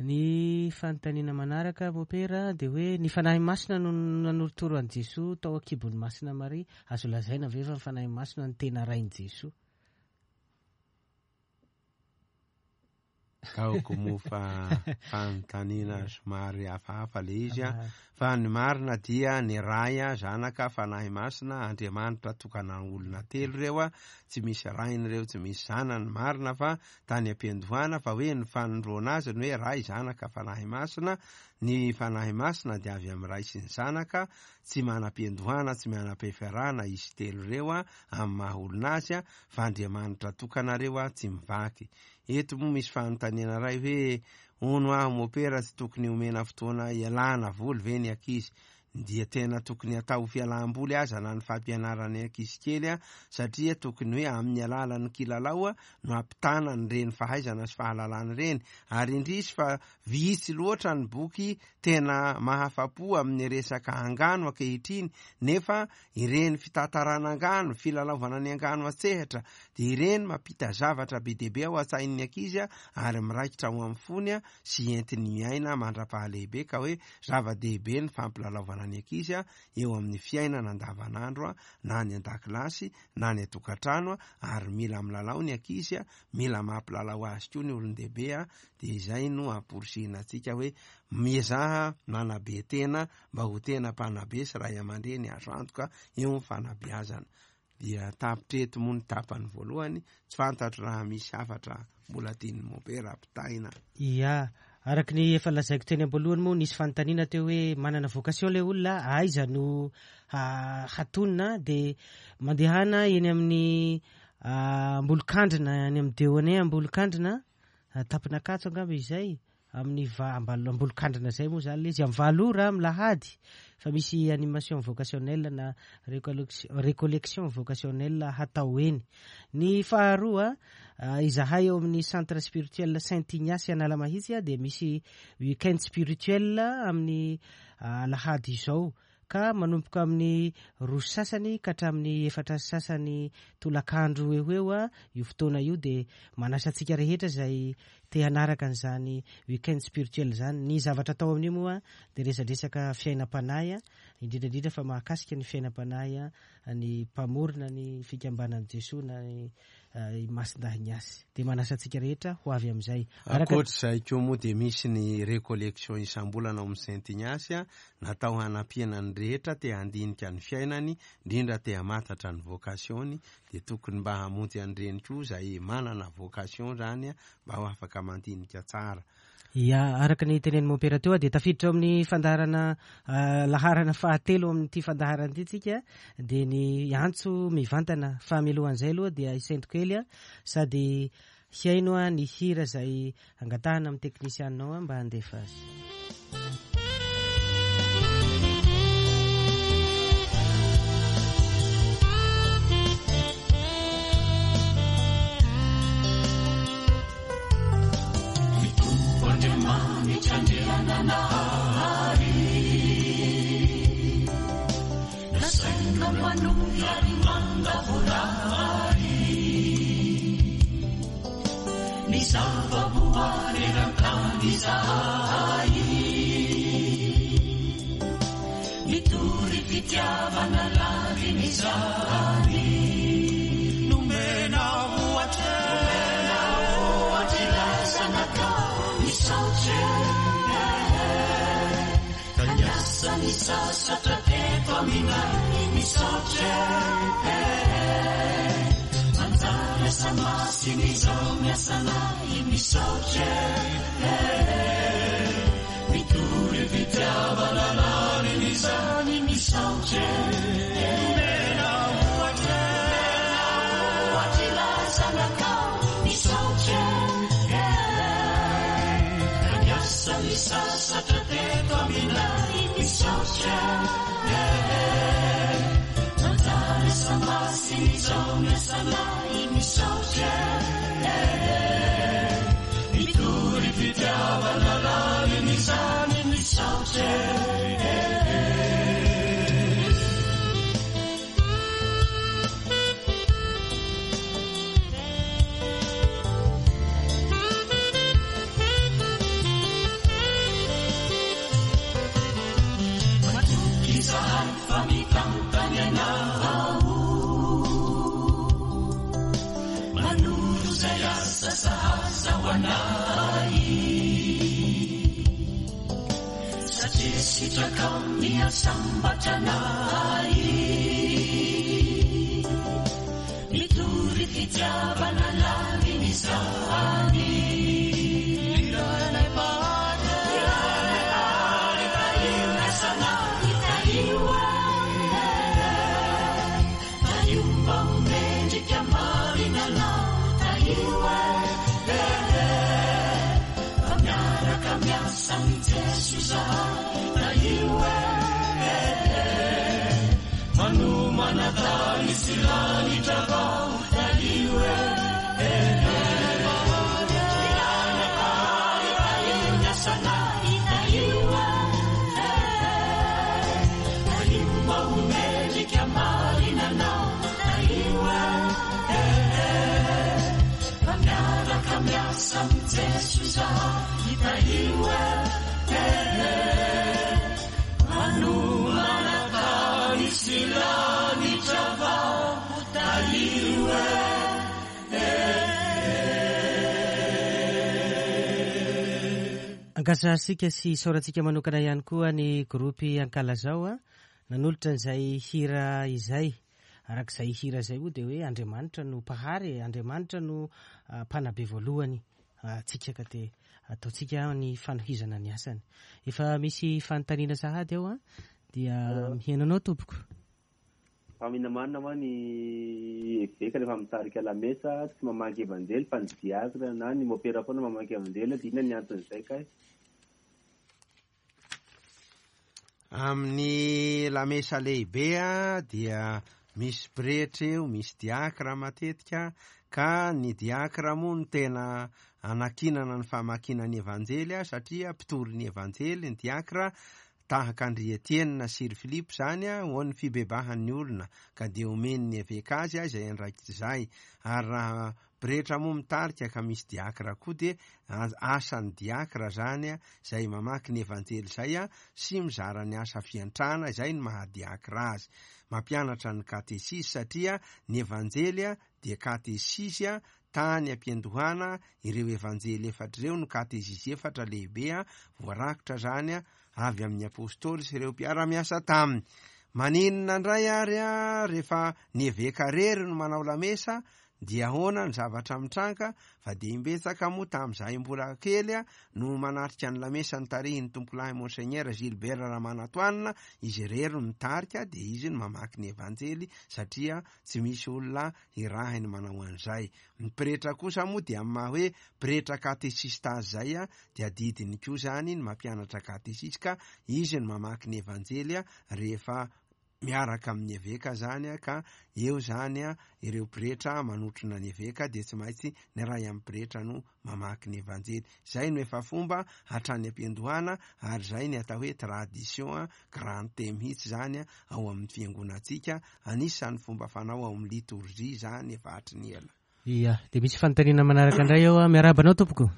Ny fanontaniana manaraka Mopera dia hoe ny Fanahy Masina no nanorotoro an'i Jesoa tao an-kibon'i Masina Maria, azo lazaina ve fa ny Fanahy Masina no tena Rain'i Jesoa? Ataoko moa fa fanontaniana somary hafahafa le izy a, fa ny marina dia ny Ray, Zanaka, Fanahy Masina, Andriamanitra tokana olona telo ireo a, tsy misy Rainy ireo, tsy misy Zanany, marina fa tany am-piandohana fa hoe ny fanondroana azy ny hoe Ray, Zanaka, Fanahy Masina, ny Fanahy Masina dia avy amin'ny Ray sy ny Zanaka, tsy manam-piandohana, tsy manam-piafarana izy telo ireo a, amin'ny maha olona azy a, fa Andriamanitra tokana ireo a, tsy mivaky. Eto moa misy fanontaniana iray hoe, hono aho mopera tsy tokony omena fotoana hialana voly ve ny ankizy? Dia tena tokony atao ho fialam-boly aza na ny fampianarana ny ankizy kely satria tokony hoe amin'ny alalan'ny kilalao no ampitana an'ireny fahaizana sy fahalalana ireny. Ary indrisy fa vitsy loatra ny boky tena mahafa-po amin'ny resaka angano ankehitriny nefa Ireny fitantarana angano, filalaovana ny angano an-tsehatra, dia ireny mampita zavatra be dia be ao an-tsain'ny ankizy ary miraikitra ao amin'ny fony sy entiny miaina mandra-pahalehibe ka hoe zava-dehibe ny fampilalaovana ny ankizy eo amin'ny fiainana andavanandro na any an-dakilasy na any an-tokantrano ary mila milalao ny ankizy, mila mampilalao azy koa ny olon-dehibe dia izay no amporisihina antsika hoe miezaha manabe tena mba ho tena mpanabe sy ray aman-dreny azo antoka eo amin'ny fanabeazana. Dia tapitra eto moa ny tapany voalohany, tsy fantatro raha misy hafatra mbola tian'i Mompera ampitaina. Ia, araka ny efa lazaiko teny am-boalohany moa nisy fanontaniana teo hoe manana vocation ilay olona, aiza no hatonina dia mandehana eny amin'ny Ambolokandrina, any amin'ny Deone Ambolokandrina, Tampin'Ankatso angamba izay, Amin'ny va, ambal, ambolokandrina izay moa izany ilay izy, amin'ny valo ora amin'ny lahady fa misy animation vocationnelle na recollection vocationnelle hatao eny. Ny faharoa, izahay ao amin'ny centre spirituel Saint Ignace Analamahitsy dia misy week-end spirituel amin'ny alahady izao ka manomboka amin'ny roa sy sasany ka hatramin'ny efatra sy sasany tolakandro eo ho eo io fotoana io dia manasa antsika rehetra izay te hanaraka an'izany week-end spirituel izany. Ny zavatra atao amin'io moa dia resadresaka fiainam-panahy, indrindra indrindra fa mahakasika ny fiainam-panahy ny mpamorona ny fikambanan'i Jesoa na ny i Masindahy Ignace. Dia manasa antsika rehetra ho avy amin'izay. Araka. Ankoatra izay koa moa dia misy ny recollection isam-bolana ao amin'ny Saint Ignace natao hanampiana ny rehetra te handinika ny fiainany, indrindra te hamantatra ny vocation-ny, dia tokony mba hamonjy an'ireny koa izay manana vocation izany mba ho afaka mandinika tsara. Ya, araka ny tenenin'i Mompera teo dia tafiditra ao amin'ny fandaharana laharana fahatelo amin'ity fandaharana ity tsika dia ny antso mivantana. Fa mialohan'izay aloha dia hisento kely sady hihaino ny hira izay angatahana amin'ny teknisianao mba handefa azy. Ny Tompo Andriamanitra Andriananahary Nasaina manohy ary mandavorary Ny zava-boary eran-tany izahay Mitory fitiavana lalina izany Nomena ohatra Nomena ohatra ilay zanakao Misaotra eh Ka niasa nisasatra teto aminay Misaotra eh Manjary asa masina izao ny asanay Misaotra eh Mitory fitiavana lalina izany Misaotra eh Nomena ohatra Nomena ohatra ilay zanakao Misaotra eh Ka niasa nisasatra teto aminay Misaotra eh Nanjary asa masina izao ny asanay Misaotra eh Mitory fitiavana lalina izany Misaotra eh Matoky izahay fa mitantana ianao Manoro izay asa sahaza ho anay Satria sitrakao ny hahasambatra anay Mitory fitiavana lalina izany Iranay Mpahary Iranay Mpahary Tahio ny asanay Tahio eh Tahio mba ho mendrika marina anao Tahio eh Fa miaraka miasa amin'i Jeso izahay Tahio eh Manomana tany sy lanitra vao Tahio eh Iranay Mpahary Tahio ny asanay Tahio eh Tahio mba ho mendrika marina anao Tahio eh Fa miaraka miasa amin'i Jeso izahay Tahio eh Manomana tany sy lanitra vao Tahio eh Ankasitrahantsika sy isaorantsika manokana ihany koa ny groupe Ankalazao nanolotra an'izay hira izay. Araka izay hira izay moa dia hoe Andriamanitra no Mpahary e, Andriamanitra no Mpanabe voalohany antsika ka dia ataontsika ny fanohizana ny asany. Efa misy fanontaniana sahady ao an, dia mihaino anao tompoko. Fa minamanina hoa ny eveka rehefa mitarika lamesa tsy mamaky evanjely fa ny diakra na ny mopera foana mamaky evanjely dia inona ny anton'izay kay? Amin'ny lamesa lehibe dia misy pretra eo, misy diakra matetika, ka ny diakra moa no tena anakinana ny famakiana ny Evanjely satria mpitory ny Evanjely ny diakra, tahaka an-dry Etiena sy ry Filipo izany ho an'ny fibebahan'ny olona, ka dia omen'ny eveka azy izay andraikitra izay, ary raha Pretra moa mitarika ka misy diakra koa dia asan'ny diakra zany izay mamaky ny evanjely izay sy mizara ny asa fiantrana izay no maha diakra azy. Mampianatra ny katesizy satria ny evanjely dia katesizy tany ampiandohana ireo evanjely efatra ireo no katezizy efatra lehibe voarakitra zany avy amin'ny apostoly sy ireo mpiara-miasa taminy. Maninona indray ary rehefa ny eveka rery no manao lamesa? Dia ahoana ny zavatra mitranga fa dia imbetsaka moa tamin'izahay mbola kely no manatrika ny lamesa notarihin'ny tompolahy Monseigneur Gilbert Ramanantoanina, izy irery no mitarika dia izy no mamaky ny Evanjely satria tsy misy olona hirahiny manao an'izay. Ny pretra kosa moa dia amin'ny maha hoe pretra katesista azy izay dia adidiny koa izany ny mampianatra katesisy ka izy no mamaky ny Evanjely rehefa miaraka amin'ny eveka zany ka eo zany ireo pretra manotrona ny eveka dia tsy maintsy ny iray amin'ny pretra no mamaky ny evanjely. Zay no efa fomba hatrany am-piandohana ary zay ny atao hoe tradition grande mihitsy zany ao amin'ny fiangonantsika, anisan'ny fomba fanao ao amin'ny litorjia zany efa hatry ny ela. Ia, dia misy fanontaniana manaraka indray eo ah. Miarahaba anao tompoko.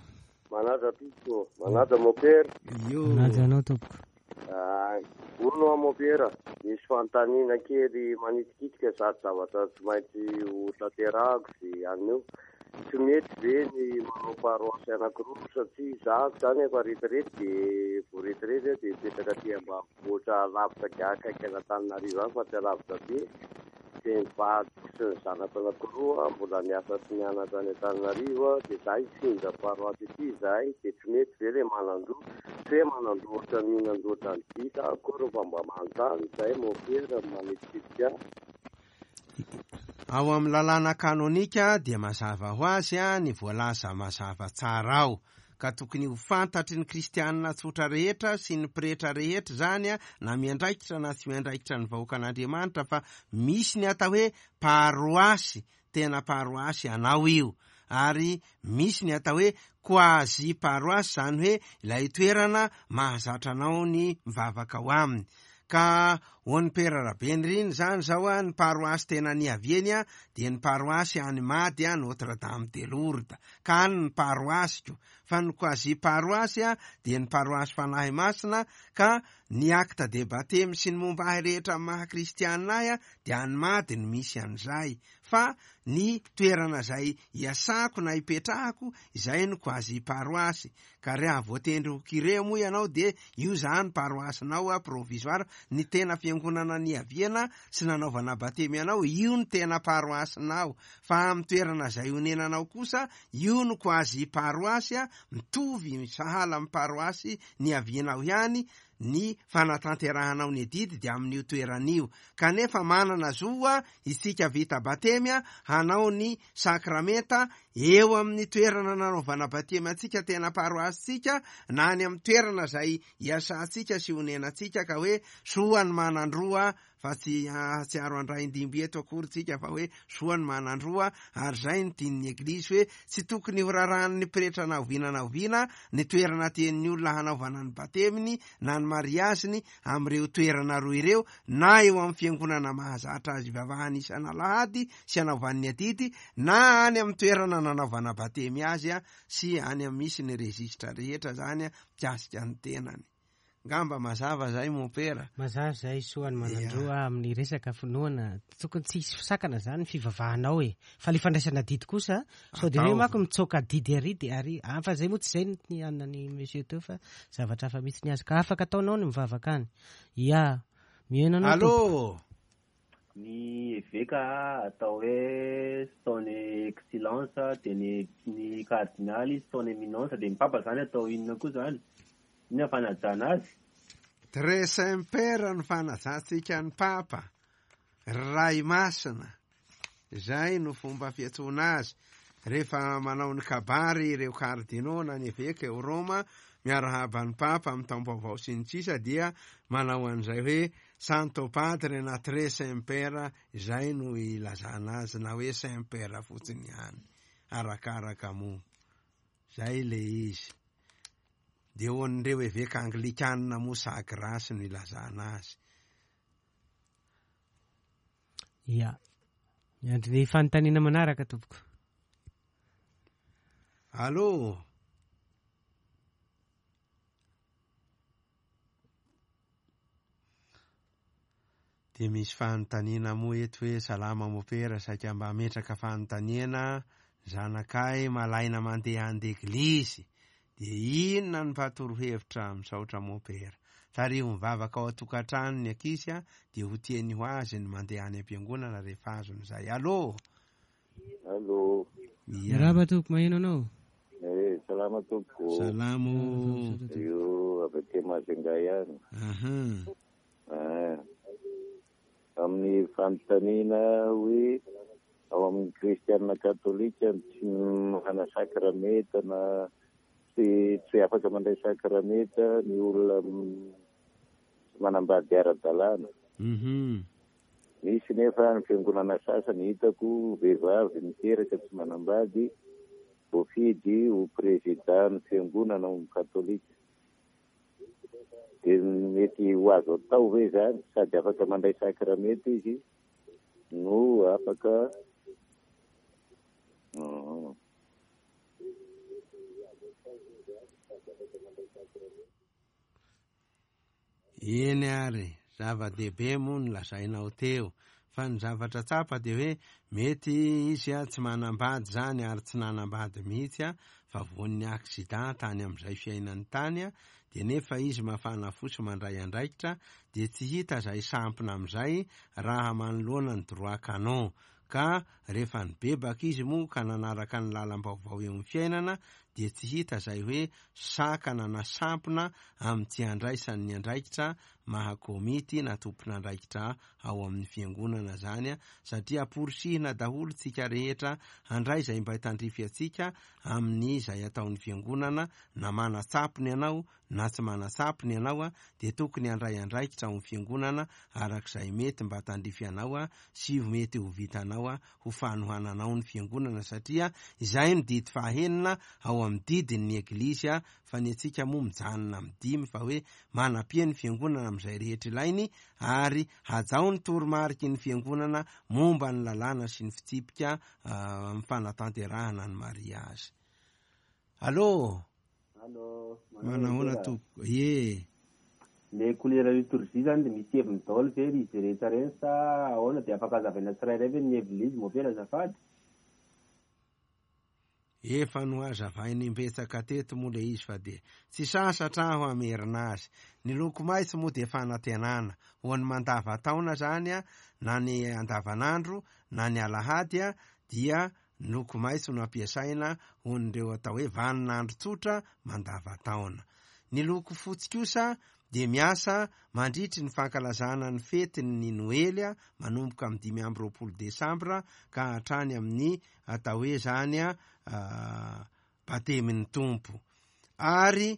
Manaja tompoko, manaja mopera. Io. Manaja anao tompoko. Ay, hono hoa mopera, misy fanontaniana kely manitikitika sady zavatra tsy maintsy ho tanterahako izay anio. Tsy mety ve ny manao paroasy anankiroa satria izaho izany efa retirety dia vao retirety aho dia mipetraka aty ambanivohitra lavitra akaiky an'Antananarivo any fa tsy alavitra be. Dia ny vadiko sy ny zanako anankiroa mbola miasa sy mianatra any Antananarivo dia za hifindra paroasy aty izahay dia tsy mety ve le manan-droa? Tsy hoe manan-droa ohatran'ny mihinan-droa ohatran'ny vita akory fa mba manontany izay mompera manitikitika ahy. Ao amin'ny lalàna kanonika dia mazava ho azy ny voalaza mazava tsara ao. Ka tokony ho fantatry ny kristianina tsotra rehetra sy ny pretra rehetra izany na miandraikitra na tsy miandraikitra ny vahoakan'Andriamanitra fa misy ny atao hoe paroasy, tena paroasy anao io, ary misy ny atao hoe quasi paroasy izany hoe ilay toerana mahazatra anao ny mivavaka ao aminy. Ka ho an'i Pera Rabenirina izany izao ny paroasy tena niaviany dia ny paroasy any Mady Notre Dame de Lourdes. Ka any ny paroasiko. Fa ny quasi paroasy dia ny paroasy Fanahy Masina ka ny acte de baptême sy ny momba ahy rehetra amin'ny maha kristianina ahy dia any Mady no misy an'izay. Fa ny toerana izay iasako na ipetrahako izay no quasi paroasy. Ka reha voatendry ho curé moa ianao dia io zany paroassinao a provisoire, ny tena fiangonana niaviana sy nanaovana batemy anao io no tena paroassinao, fa amin'ny toerana izay onenanao kosa io no quasi paroasy a, mitovy sahala amin'ny paroasy niavianao ihany ny fanatanterahanao ny adidy dia amin'io toerana io, kanefa manana zo isika vita batemy hanao ny sakramenta eo amin'ny toerana nanaovana batemy antsika tena paroasintsika na any amin'ny toerana izay iasantsika sy onenantsika ka hoe soa ny manan-droa fa tsy hahatsiaro andraindimby eto akory tsika fa hoe soa ny manan-droa ary izay no tian'ny eglizy hoe tsy tokony ho rarahan'ny pretra na oviana na oviana ny toerana tian'ny olona hanaovana ny bateminy na ny mariaziny amin'ireo toerana roa ireo na eo amin'ny fiangonana mahazatra azy ivavahany isan'alahady sy anaovany ny adidy na any amin'ny toerana nanaovana batemy azy sy any amin'ny misy ny registre rehetra zany mikasika ny tenany. Ngamba mazava zay mompera. Mazava zay soa ny manandroa amin'ny resaka finoana. Tokony tsy hisy fisakana zany ny fivavahanao e. Fa le fandraisana adidy kosa sao de hoe manko mitsoaka adidy ary de ary ah, fa zay moa tsy zay ny anona ny monsieur teo fa zavatra hafa mihitsy ny azy ka afaka ataonao ny mivavaka any. Ya. Mihaino anao Allô. tompoko. Ny eveka atao hoe son excellence dia ny ny kardinaly son eminence dia ny papa zany atao inona koa zany? Inona ny fanajana azy? Très Saint Père ny fanajantsika ny Papa, Ray Masina, izay no fomba fiantsoana azy rehefa manao ny kabary ireo kardinaux na ny eveka eo Roma miarahaba ny Papa amin'ny taom-baovao sy ny sisa dia manao an'izay hoe Santo Padre na Très Saint Père izay no ilazana azy na hoe Saint Père fotsiny ihany arakaraka moa izay le izy. Dia ho an'ireo eveka anglikanina moa sa grâce no ilazana azy. Ya. Miandry ny fanontaniana manaraka tompoko. Allô? Dia misy fanontaniana moa eto hoe salama mopera saika mba hametraka fanontaniana zanakay malaina mandeha andeglizy dia inona no mba torohevitra misaotra mopera tariho mivavaka ao an-tokantrano ny ankizy a dia ho tiany ho azy ny mandeha any am-piangonana rehefa azony izay allo. Allô. Miarahaba tompoko, maheno anao. Eh, salama tompoko. Salamo. Io avy aty Majunga ihany. Aha. Ah. Amin'ny fanontaniana hoe ao amin'ny kristiana katolika tsy manana sakramenta na tsy tsy afaka mandray sakramenta ny olona tsy manambady ara-dalàna. Mhm. Misy nefa ny fiangonana sasany hitako vehivavy miteraka tsy manambady voafidy ho prezida ny fiangonana ao amin'ny katolika. Dia mety ho azo atao ve izany? Sady afaka mandray sakramenta izy no afaka Eny ary, zava-dehibe moa ny lazainao teo, fa ny zavatra tsapa dia hoe mety izy tsy manambady izany ary tsy nanambady mihitsy fa voan'ny accident tany amin'izay fiainany tany dia nefa izy mafana fo sy mandray andraikitra dia tsy hita izay sampona amin'izay raha manoloana ny droit canon ka rehefa nibebaka izy moa ka nanaraka ny lalam-baovao eo amin'ny fiainana dia tsy hita izay hoe sakana na sampona amin'ny tsy handraisany ny andraikitra maha komity na tompon'andraikitra ao amin'ny fiangonana izany satria amporisihina daholo tsika rehetra handray izay mba tandrify antsika amin'ny izay ataon'ny fiangonana na manatsapony ianao na tsy manatsapony ianao dia tokony handray andraikitra ao amin'ny fiangonana arak'izay mety mba tandrify anao sy mety ho vitanao ho fanohananao ny fiangonana satria izay no didy fahenina ao amin'ny didin'ny Eglizy fa ny antsika moa mijanona amin'ny dimy fa hoe manampia ny fiangonana amin'izay rehetra ilainy ary hajao ny toromariky ny fiangonana momba ny lalàna sy ny fitsipika amin'ny fanatanterahana ny mariazy. Allô? Allô, Manahoana tompoko? Ie. Le couleur liturgie zany de misy heviny daholo ve ry izy rehetra ireny sa ahoana de afaka hazavaina tsirairay ve ny heviny izy moa ve azafady? Efa nohazavaina imbetsaka teto moa le izy fa dia tsy sasatra aho hamerina azy. Ny loko maitso moa dia fanantenana ho an'ny mandava-taona zany na ny andavanandro na ny alahady dia Ny loko maitso no ampiasaina ho an'ireo atao hoe vaninandro tsotra mandava-taona. Ny loko fotsy kosa dia miasa mandritry ny fankalazana ny fetin'ny Noely manomboka amin'ny 25 desambra ka hatrany amin'ny atao hoe izany batemin'ny Tompo. Ary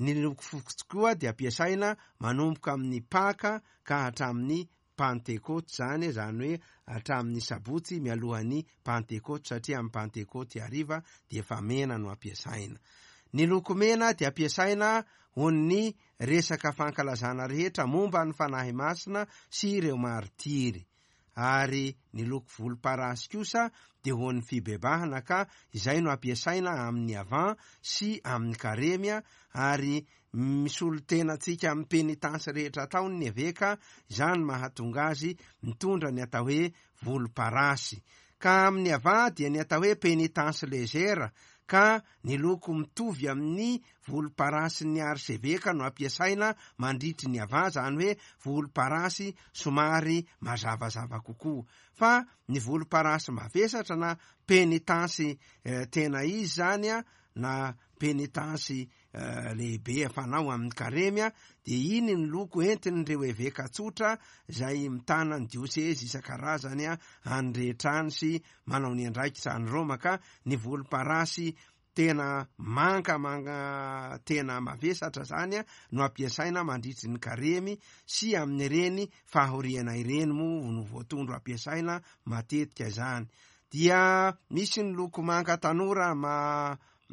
ny loko fotsy koa dia ampiasaina manomboka amin'ny Paka ka hatramin'ny Pantekoty izany, izany hoe hatramin'ny sabotsy mialohan'ny Pantekoty, satria amin'ny Pantekoty hariva dia efa mena no ampiasaina. Ny loko mena dia ampiasaina ho ny resaka fankalazana rehetra momba ny Fanahy Masina sy ireo martiry. Ary ny loko volomparasy kosa dia ho an'ny fibebahana ka izay no ampiasaina amin'ny Avent sy amin'ny Karemy ary Misolo tena antsika amin'ny penitansy rehetra ataony ny eveka, izany mahatonga azy mitondra ny atao hoe volomparasy. Ka amin'ny ava dia ny atao hoe penitence légère, ka ny loko mitovy amin'ny volomparasin'ny arseveka no ampiasaina mandritry ny ava, izany hoe volomparasy somary mazavazava kokoa. Fa ny volomparasy mavesatra na penitansy tena izy izany na penitansy lehibe fanao amin'ny karemy dia iny ny loko entin'ireo eveka tsotra izay mitana ny diosezy isan-karazany any rehetra any sy manao ny andraikitra any Roma ka ny volomparasy tena manga manga tena mavesatra zany no ampiasaina mandritry ny karemy sy amin'ireny fahoriana ireny moa no voatondro ampiasaina matetika izany dia misy ny loko manga tanora ma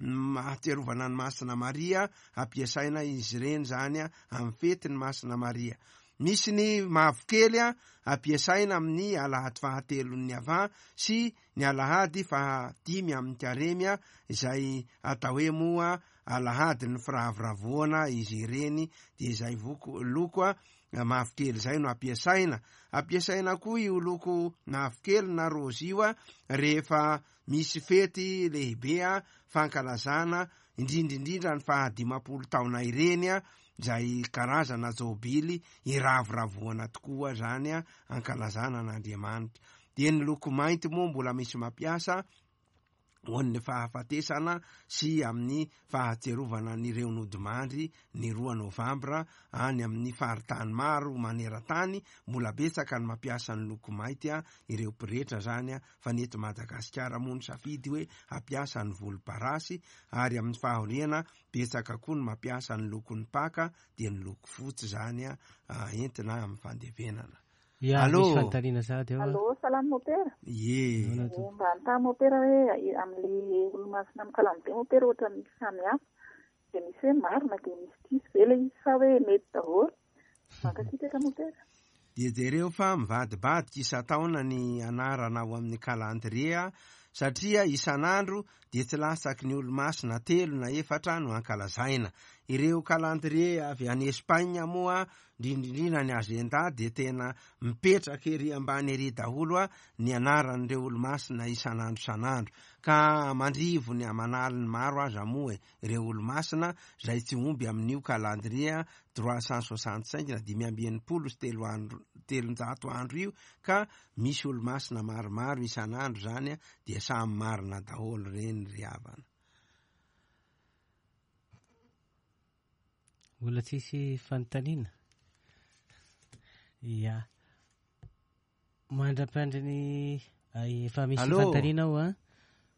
mahatsiarovana an'i Masina Maria, ampiasaina izy ireny izany amin'ny fetin'i Masina Maria. Misy ny mavokely ampiasaina amin'ny alahady fahatelon'ny Avant sy ny alahady fahadimy amin'ny Karemy izay atao hoe moa alahadin'ny firavoravoana izy ireny dia izay voko loko mavokely izay no ampiasaina. Ampiasaina koa io loko mavokely na raozy io rehefa Misy fety lehibe fankalazana, indrindra indrindra ny faha 50 taona ireny, izay karazana jobily iravoravoana tokoa zany a, ankalazana an'Andriamanitra. Dia ny loko mainty moa mbola misy mampiasa ho an'ny fahafatesana sy amin'ny fahatsiarovana an'ireo nodimandry ny roa novambra any amin'ny faritany maro maneran-tany. Mbola betsaka ny mampiasa ny loko mainty ireo pretra zany, fa ny eto Madagasikara moa nisafidy hoe hampiasa ny volomparasy, ary amin'ny fahoriana betsaka koa ny mampiasa ny lokon'ny paka, dia ny loko fotsy zany entina amin'ny fandevenana. Ya, Allô? misy fanontaniana sahady eo. Allô, salama mopera. Ie. Nahoana tompoko? Mba anontany mopera hoe amin'ilay olomasina amin'ny calendrier mopera ohatra misy samy hafa. Dia misy hoe marina dia misy diso ve ilay izy sa hoe mety daholo? Mankasitraka mopera. Dia jereo fa mivadibadika isan-taona ny anarana ao amin'ny calendrier, satria isan'andro dia tsy latsaky ny olomasina 3 na 4 no ankalazaina. Ireo calendrier avy any Espagne moa, indrindrindrindra ny agenda, dia tena mipetraka ery ambany ery daholo ny anaran'ireo olomasina isan'andro isan'andro. Ka aman-drivony aman'aliny maro aza moa ireo olomasina izay tsy omby amin'io calendrier trois cent soixante-cinq na dimy amby enimpolo sy telo andro, telonjato andro io, ka misy olomasina maromaro isan'andro zany, dia samy marina daholo ireny ry havana. Mbola tsisy fanontaniana? Ya. Mandra-piandry ny, ay, efa misy Allô? fanontaniana ao, a?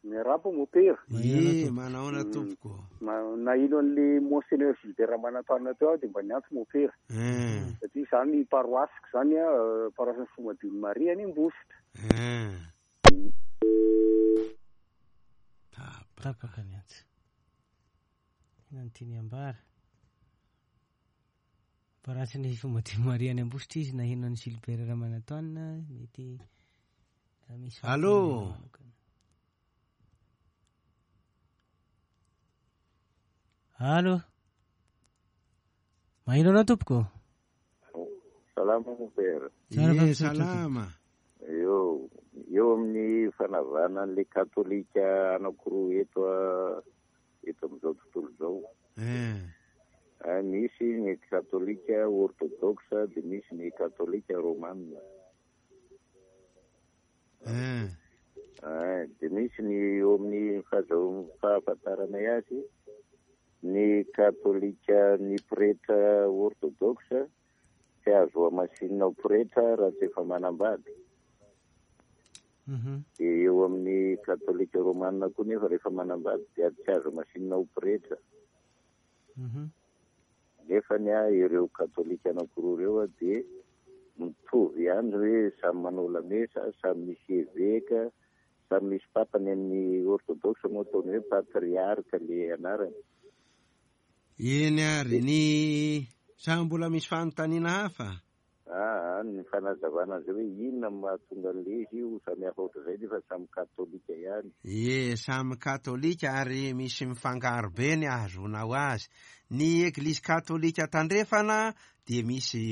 Miarahaba mopera. Ie, manahoana tompoko? Naheno an'le Monseigneur Gilbert Ramanantoanina teo aho dia mba niantso mopera. Satria izany paroasiko izany, paroasin'ny Fomadion'i Maria any Ambositra. Tapaka ny antso. Inona no tiany ambara? Paroasin'ny Fomadion'i Maria any Ambositra izy naheno an'i Gilbert Ramanantoanina, mety misy Allô? fanontaniana manokana. Allô? Maheno anao tompoko? Salama mopera. Tsara Ie, fa misaotra salama. Eo, eo amin'ny fanavahana an'ilay katolika anankiroa eto amin'izao tontolo izao. Misy ny katolika orthodoxe, dia misy ny katolika romana. Dia misy ny eo amin'ny fahafantaranay azy, ny katolika ny pretra orthodoxe tsy azo hamasinina ho pretra raha tsy efa manambady. Dia eo amin'ny katolika romana koa nefa rehefa manambady dia tsy azo hamasinina ho pretra. Nefa ny ahy ireo katolika anankiroa ireo dia mitovy ihany hoe samy manao lamesa, samy misy eveka, samy misy papa. Ny an'ny orthodoxe moa ataony hoe patriarka le anarany. Eny ary, ny sa mbola misy fanontaniana hafa? Ny fanazavana azy hoe inona no mahatonga an'ilay izy io samy hafa ohatr'izay nefa samy katolika ihany. Ie, samy katolika ary misy mifangaro be ny ahazoanao azy. Ny eglizy katolika tandrefana dia misy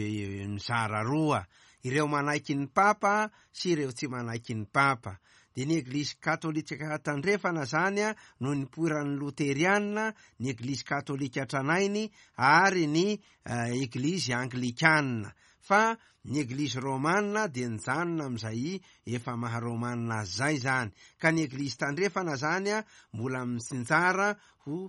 mizara roa, ireo manaiky ny papa sy ireo tsy manaiky ny papa. Dia ny eglizy katolika tandrefana zany no nipoiran'ny loteriana, ny eglizy katolika tranainy ary ny eglizy anglikana. Fa ny eglizy romana dia nijanona amin'izay efa maha romana azy zay zany. Ka ny eglizy tandrefana zany mbola mitsinjara ho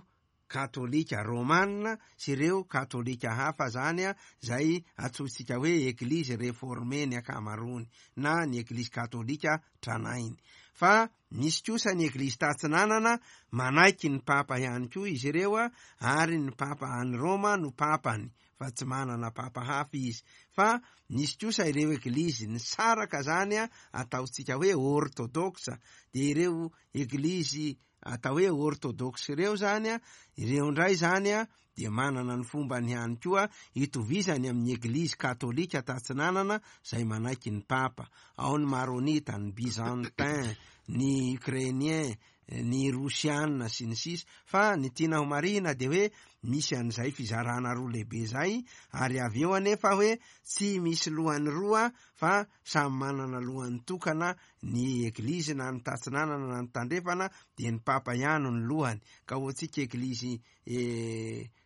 katolika romana sy ireo katolika hafa zany zay antsointsika hoe eglizy reformé ny ankamaroany na ny eglizy katolika tranainy. Fa misy kosa ny eglizy tatsinanana manaiky ny papa ihany koa izy ireo ary ny papa any Roma no papany fa tsy manana papa hafa izy. Fa misy kosa ireo eglizy nisaraka zany ataontsika hoe orthodoxe, dia ireo eglizy atao hoe orthodoxe ireo zany ireo indray zany dia manana ny fombany ihany koa itovizany amin'ny eglizy katolika tatsinanana izay manaiky ny papa. Ao ny maronita, ny byzantin, ny ukrainien, ny rosiana sy ny sisa. Fa ny tiana ho marihina dia hoe misy an'izay fizarana roa lehibe izay, ary avy eo anefa hoe tsy misy lohany roa fa samy manana lohany tokana ny eglizy na ny tatsinanana na ny tandrefana, dia ny papa ihany no lohany. Ka ho antsika eglizy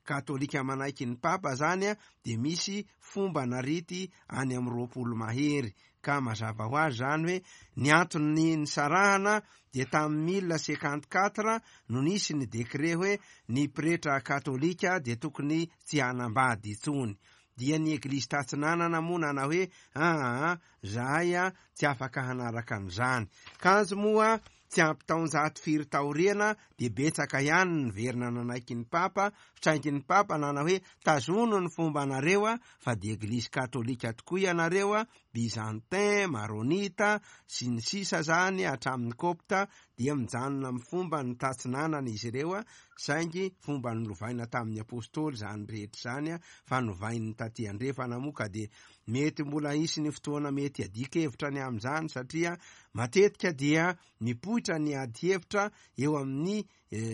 katolika manaiky ny papa zany a dia misy fomba na rity any amin'ny 20 mahery. Ka mazava ho azy zany hoe ny antony nisarahana dia tamin'ny 1054 no nisy ny décret hoe ny pretra katolika dia tokony tsy hanambady intsony. Dia ny eglizy tatsinanana moa nanao hoe aa zahay a tsy afaka hanaraka an'izany. Kanjo moa tsy ampy taonjato firy taoriana dia betsaka ihany ny niverina nanaiky ny papa, saingy ny papa nanao hoe tazono ny fombanareo a fa dia eglizy katolika tokoa ianareo a, byzantin, maronita sy ny sisa zany hatramin'ny kopta dia mijanona amin'ny fomba ny tatsinanana izy ireo a, saingy fomba nolovaina tamin'ny apostoly zany rehetra zany a, fa novain'ny taty andrefana moa ka dia mety mbola hisy ny fotoana mety hiadian-kevitra ny amin'izany satria matetika dia mipoitra ny ady hevitra eo amin'ny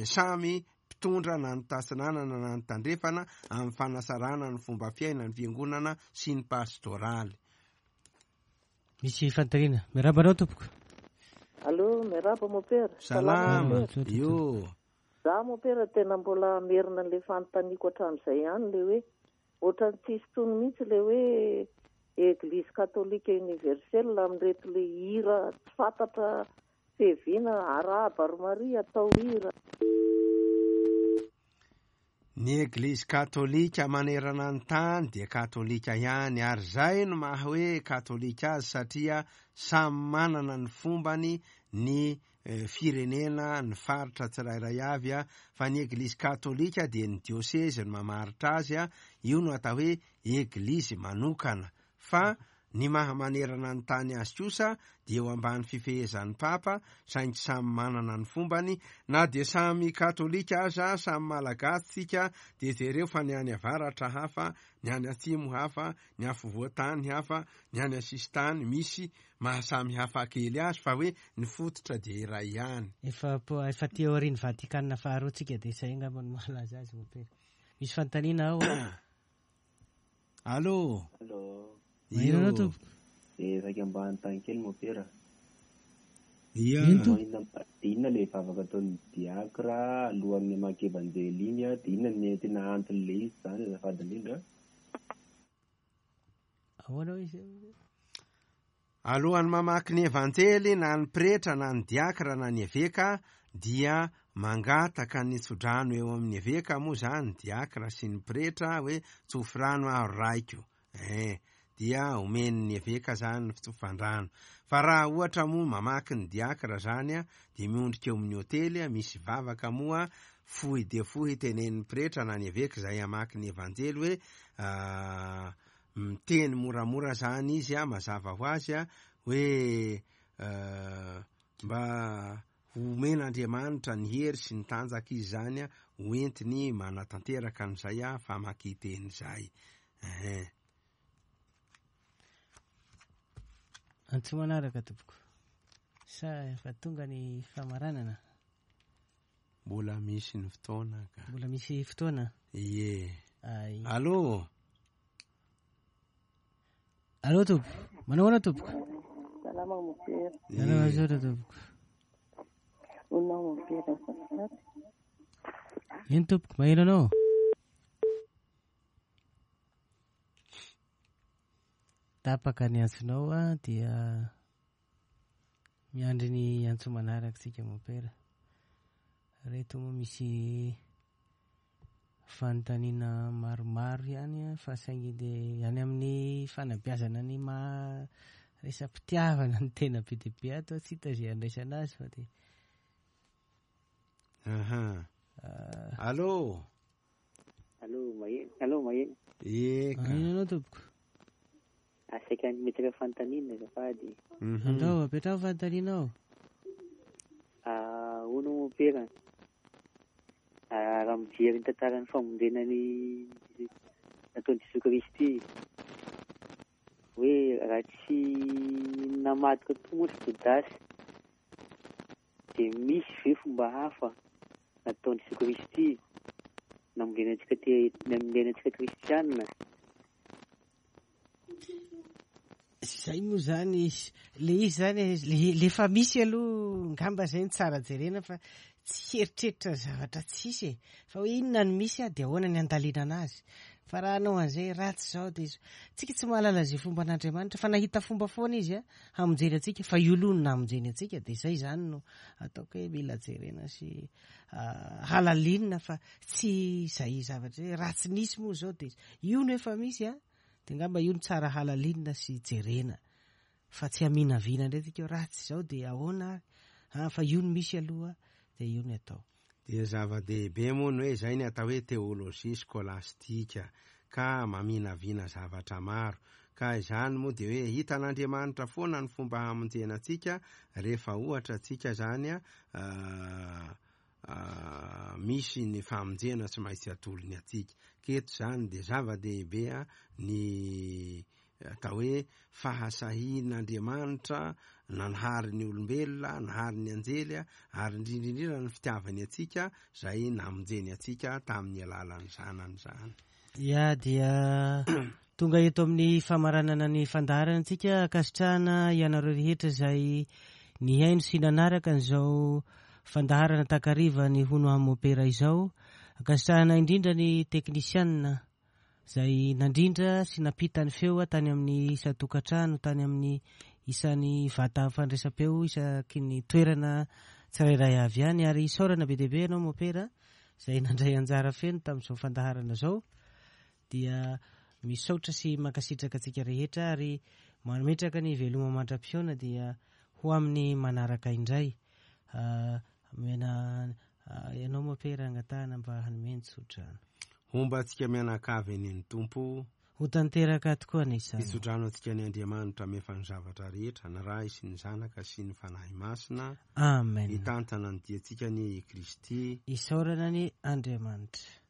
samy mpitondra na ny tatsinanana na ny tandrefana amin'ny fanasarana ny fomba fiainan'ny fiangonana sy ny pastoraly. Misy fanontaniana. Miarahaba anao tompoko. Allô, miarahaba mopera. Salama. Io. Za mopera tena mbola hamerina an'ilay fanontaniako hatramin'izay ihany ilay hoe ohatran'ny tsy hisy intsony mihitsy ilay hoe Eglise Catholique Universelle amin'ireto ilay hira tsy fantatra fiaviana arahaba ry Maria atao hira. Ny Eglizy Katolika manerana ny tany dia Katolika ihany ary izay no maha hoe Katolika azy satria samy manana ny fombany ny firenena, ny faritra tsirairay avy fa ny Eglizy Katolika dia ny diosezy no mamaritra azy, io no atao hoe Eglizy manokana fa ny maha manerana ny tany azy kosa dia eo ambany fifehezan'ny Papa, saingy samy manana ny fombany, na dia samy katolika aza, samy malagasy tsika dia jereo fa ny any avaratra hafa, ny any atsimo hafa, ny afovoan-tany hafa, ny any asisintany, misy maha samy hafa kely azy fa hoe ny fototra dia iray ihany. Efa efa aty aorian'ny Vatikana faharoa tsika dia izay angamba no mahalaza azy mompera. Misy fanontaniana ao an. Allô. Allô. Maheno anao tompoko. Eh, saika mba hanontany kely mopera. Ia. Eny tompoko. Inona dia inona ilay vavaka ataon'ny diakra alohan'ny hamaky evanjely iny an, dia inona ny tena anton'ilay izy izany azafady indrindra? Ahoana hoy izy? Alohan'ny mamaky ny Evanjely na ny pretra na ny diakra na ny eveka dia mangataka ny tsodrano eo amin'ny eveka moa izany diakra sy ny pretra hoe tsofy rano aho ry raiko eh dia omen'ny eveka izany ny fitsofan-drano fa raha ohatra moa mamaky ny diakra izany dia miondrika eo amin'ny otely misy vavaka moa fohy dia fohy tenenin'ny pretra na ny eveka izay hamaky ny Evanjely hoe miteny moramora zany izy a, mazava ho azy a, hoe mba homen'Andriamanitra ny hery sy ny tanjaka izy zany a, ho entiny manatanteraka an'izay a famakian-teny izay. Ehe. Antso manaraka tompoko. Sa efa tonga ny famaranana? Mbola misy ny fotoana ka. Mbola misy fotoana? Ie. Ay. Allô? Allô tompoko. Manao ahoana tompoko? Salama mopera. Salama misaotra tompoko. Honina mopera azafady. Eny tompoko, maheno anao. Tapaka ny antsonao a dia Miandry ny antso manaraka tsika mompera. Reto moa misy fanontaniana maromaro ihany fa saingy dia any amin'ny fanabeazana ny maha resa-pitiavana no tena be dia be ato, tsy hita izay andraisana azy fa dia Aha. Allô? Allô, maheno. Allô, maheno. Eka. Maheno anao tompoko. Saika hametraka fanontaniana azafady. Andao, apetraho fanontaniana ao. Hono mompera, raha mijery ny tantaran'ny famonjena ny nataon'i Jesoa Kristy, hoe raha tsy namadika tokoa moa ry Jodasy, dia misy ve fomba hafa nataon'i Jesoa Kristy namonjena antsika namonjena antsika kristiana? Zay moa zany, le izy zany, le, le efa misy aloha ngamba zay no tsara jerena fa tsy hieritreritra ny zavatra tsisy e! Fa hoe inona no misy dia ahoana ny handalinana azy? Fa raha hanao an'izay ratsy izao dia izao. Tsika tsy mahalala izay fomban'Andriamanitra fa nahita fomba foana izy hamonjeny antsika fa io aloha no namonjeny antsika dia izay izany no ataoko hoe mila jerena sy halalinina fa tsy izay zavatra hoe ratsy nisy moa izao dia io no efa misy a dia angamba io no tsara halalinina sy jerena fa tsy haminavina indray tsika hoe ratsy izao dia ahoana ary ah, fa io no misy aloha dia io no atao. Dia zava-dehibe moa ny hoe izay ny atao hoe teolojia skolastika ka maminavina zavatra maro. Ka izany moa dia hoe hitan'Andriamanitra foana ny fomba hamonjena antsika rehefa ohatra antsika izany misy ny famonjena tsy maintsy atolony antsika. Ka eto izany dia zava-dehibe ny Atao hoe fahasahian'Andriamanitra nanahary ny olombelona, nahary ny anjely, ary indrindra indrindra ny fitiavany antsika izay namonjeny antsika tamin'ny alalan'ny Zanany izany. Ya, dia tonga eto amin'ny famaranana ny fandaharana antsika. Ankasitrahana ianareo rehetra izay nihaino sy nanaraka an'izao fandaharana takariva ny Hono Aho Mopera izao. Ankasitrahana indrindra ny teknisianina. izay nandrindra sy nampita ny feo tany amin'ny isan-tokantrano, tany amin'ny isan'ny vata fandraisam-peo isaky ny toerana tsirairay avy any. Ary isaorana be dia be ianao Mopera izay nandray anjara feno tamin'izao fandaharana izao. Dia misaotra sy mankasitraka antsika rehetra ary mametraka ny veloma mandra-pihaona dia ho amin'ny manaraka indray. Omena ianao Mopera angatahana mba hanome ny tsodrano. Homba antsika mianakavy anie ny Tompo. Ho tanteraka tokoa anie izany. Hitsodrano antsika ny Andriamanitra mefa ny zavatra rehetra, ny Ray sy ny Zanaka sy ny Fanahy Masina. Amen. Hitantana ny diantsika anie i Kristy. Isaorana anie Andriamanitra.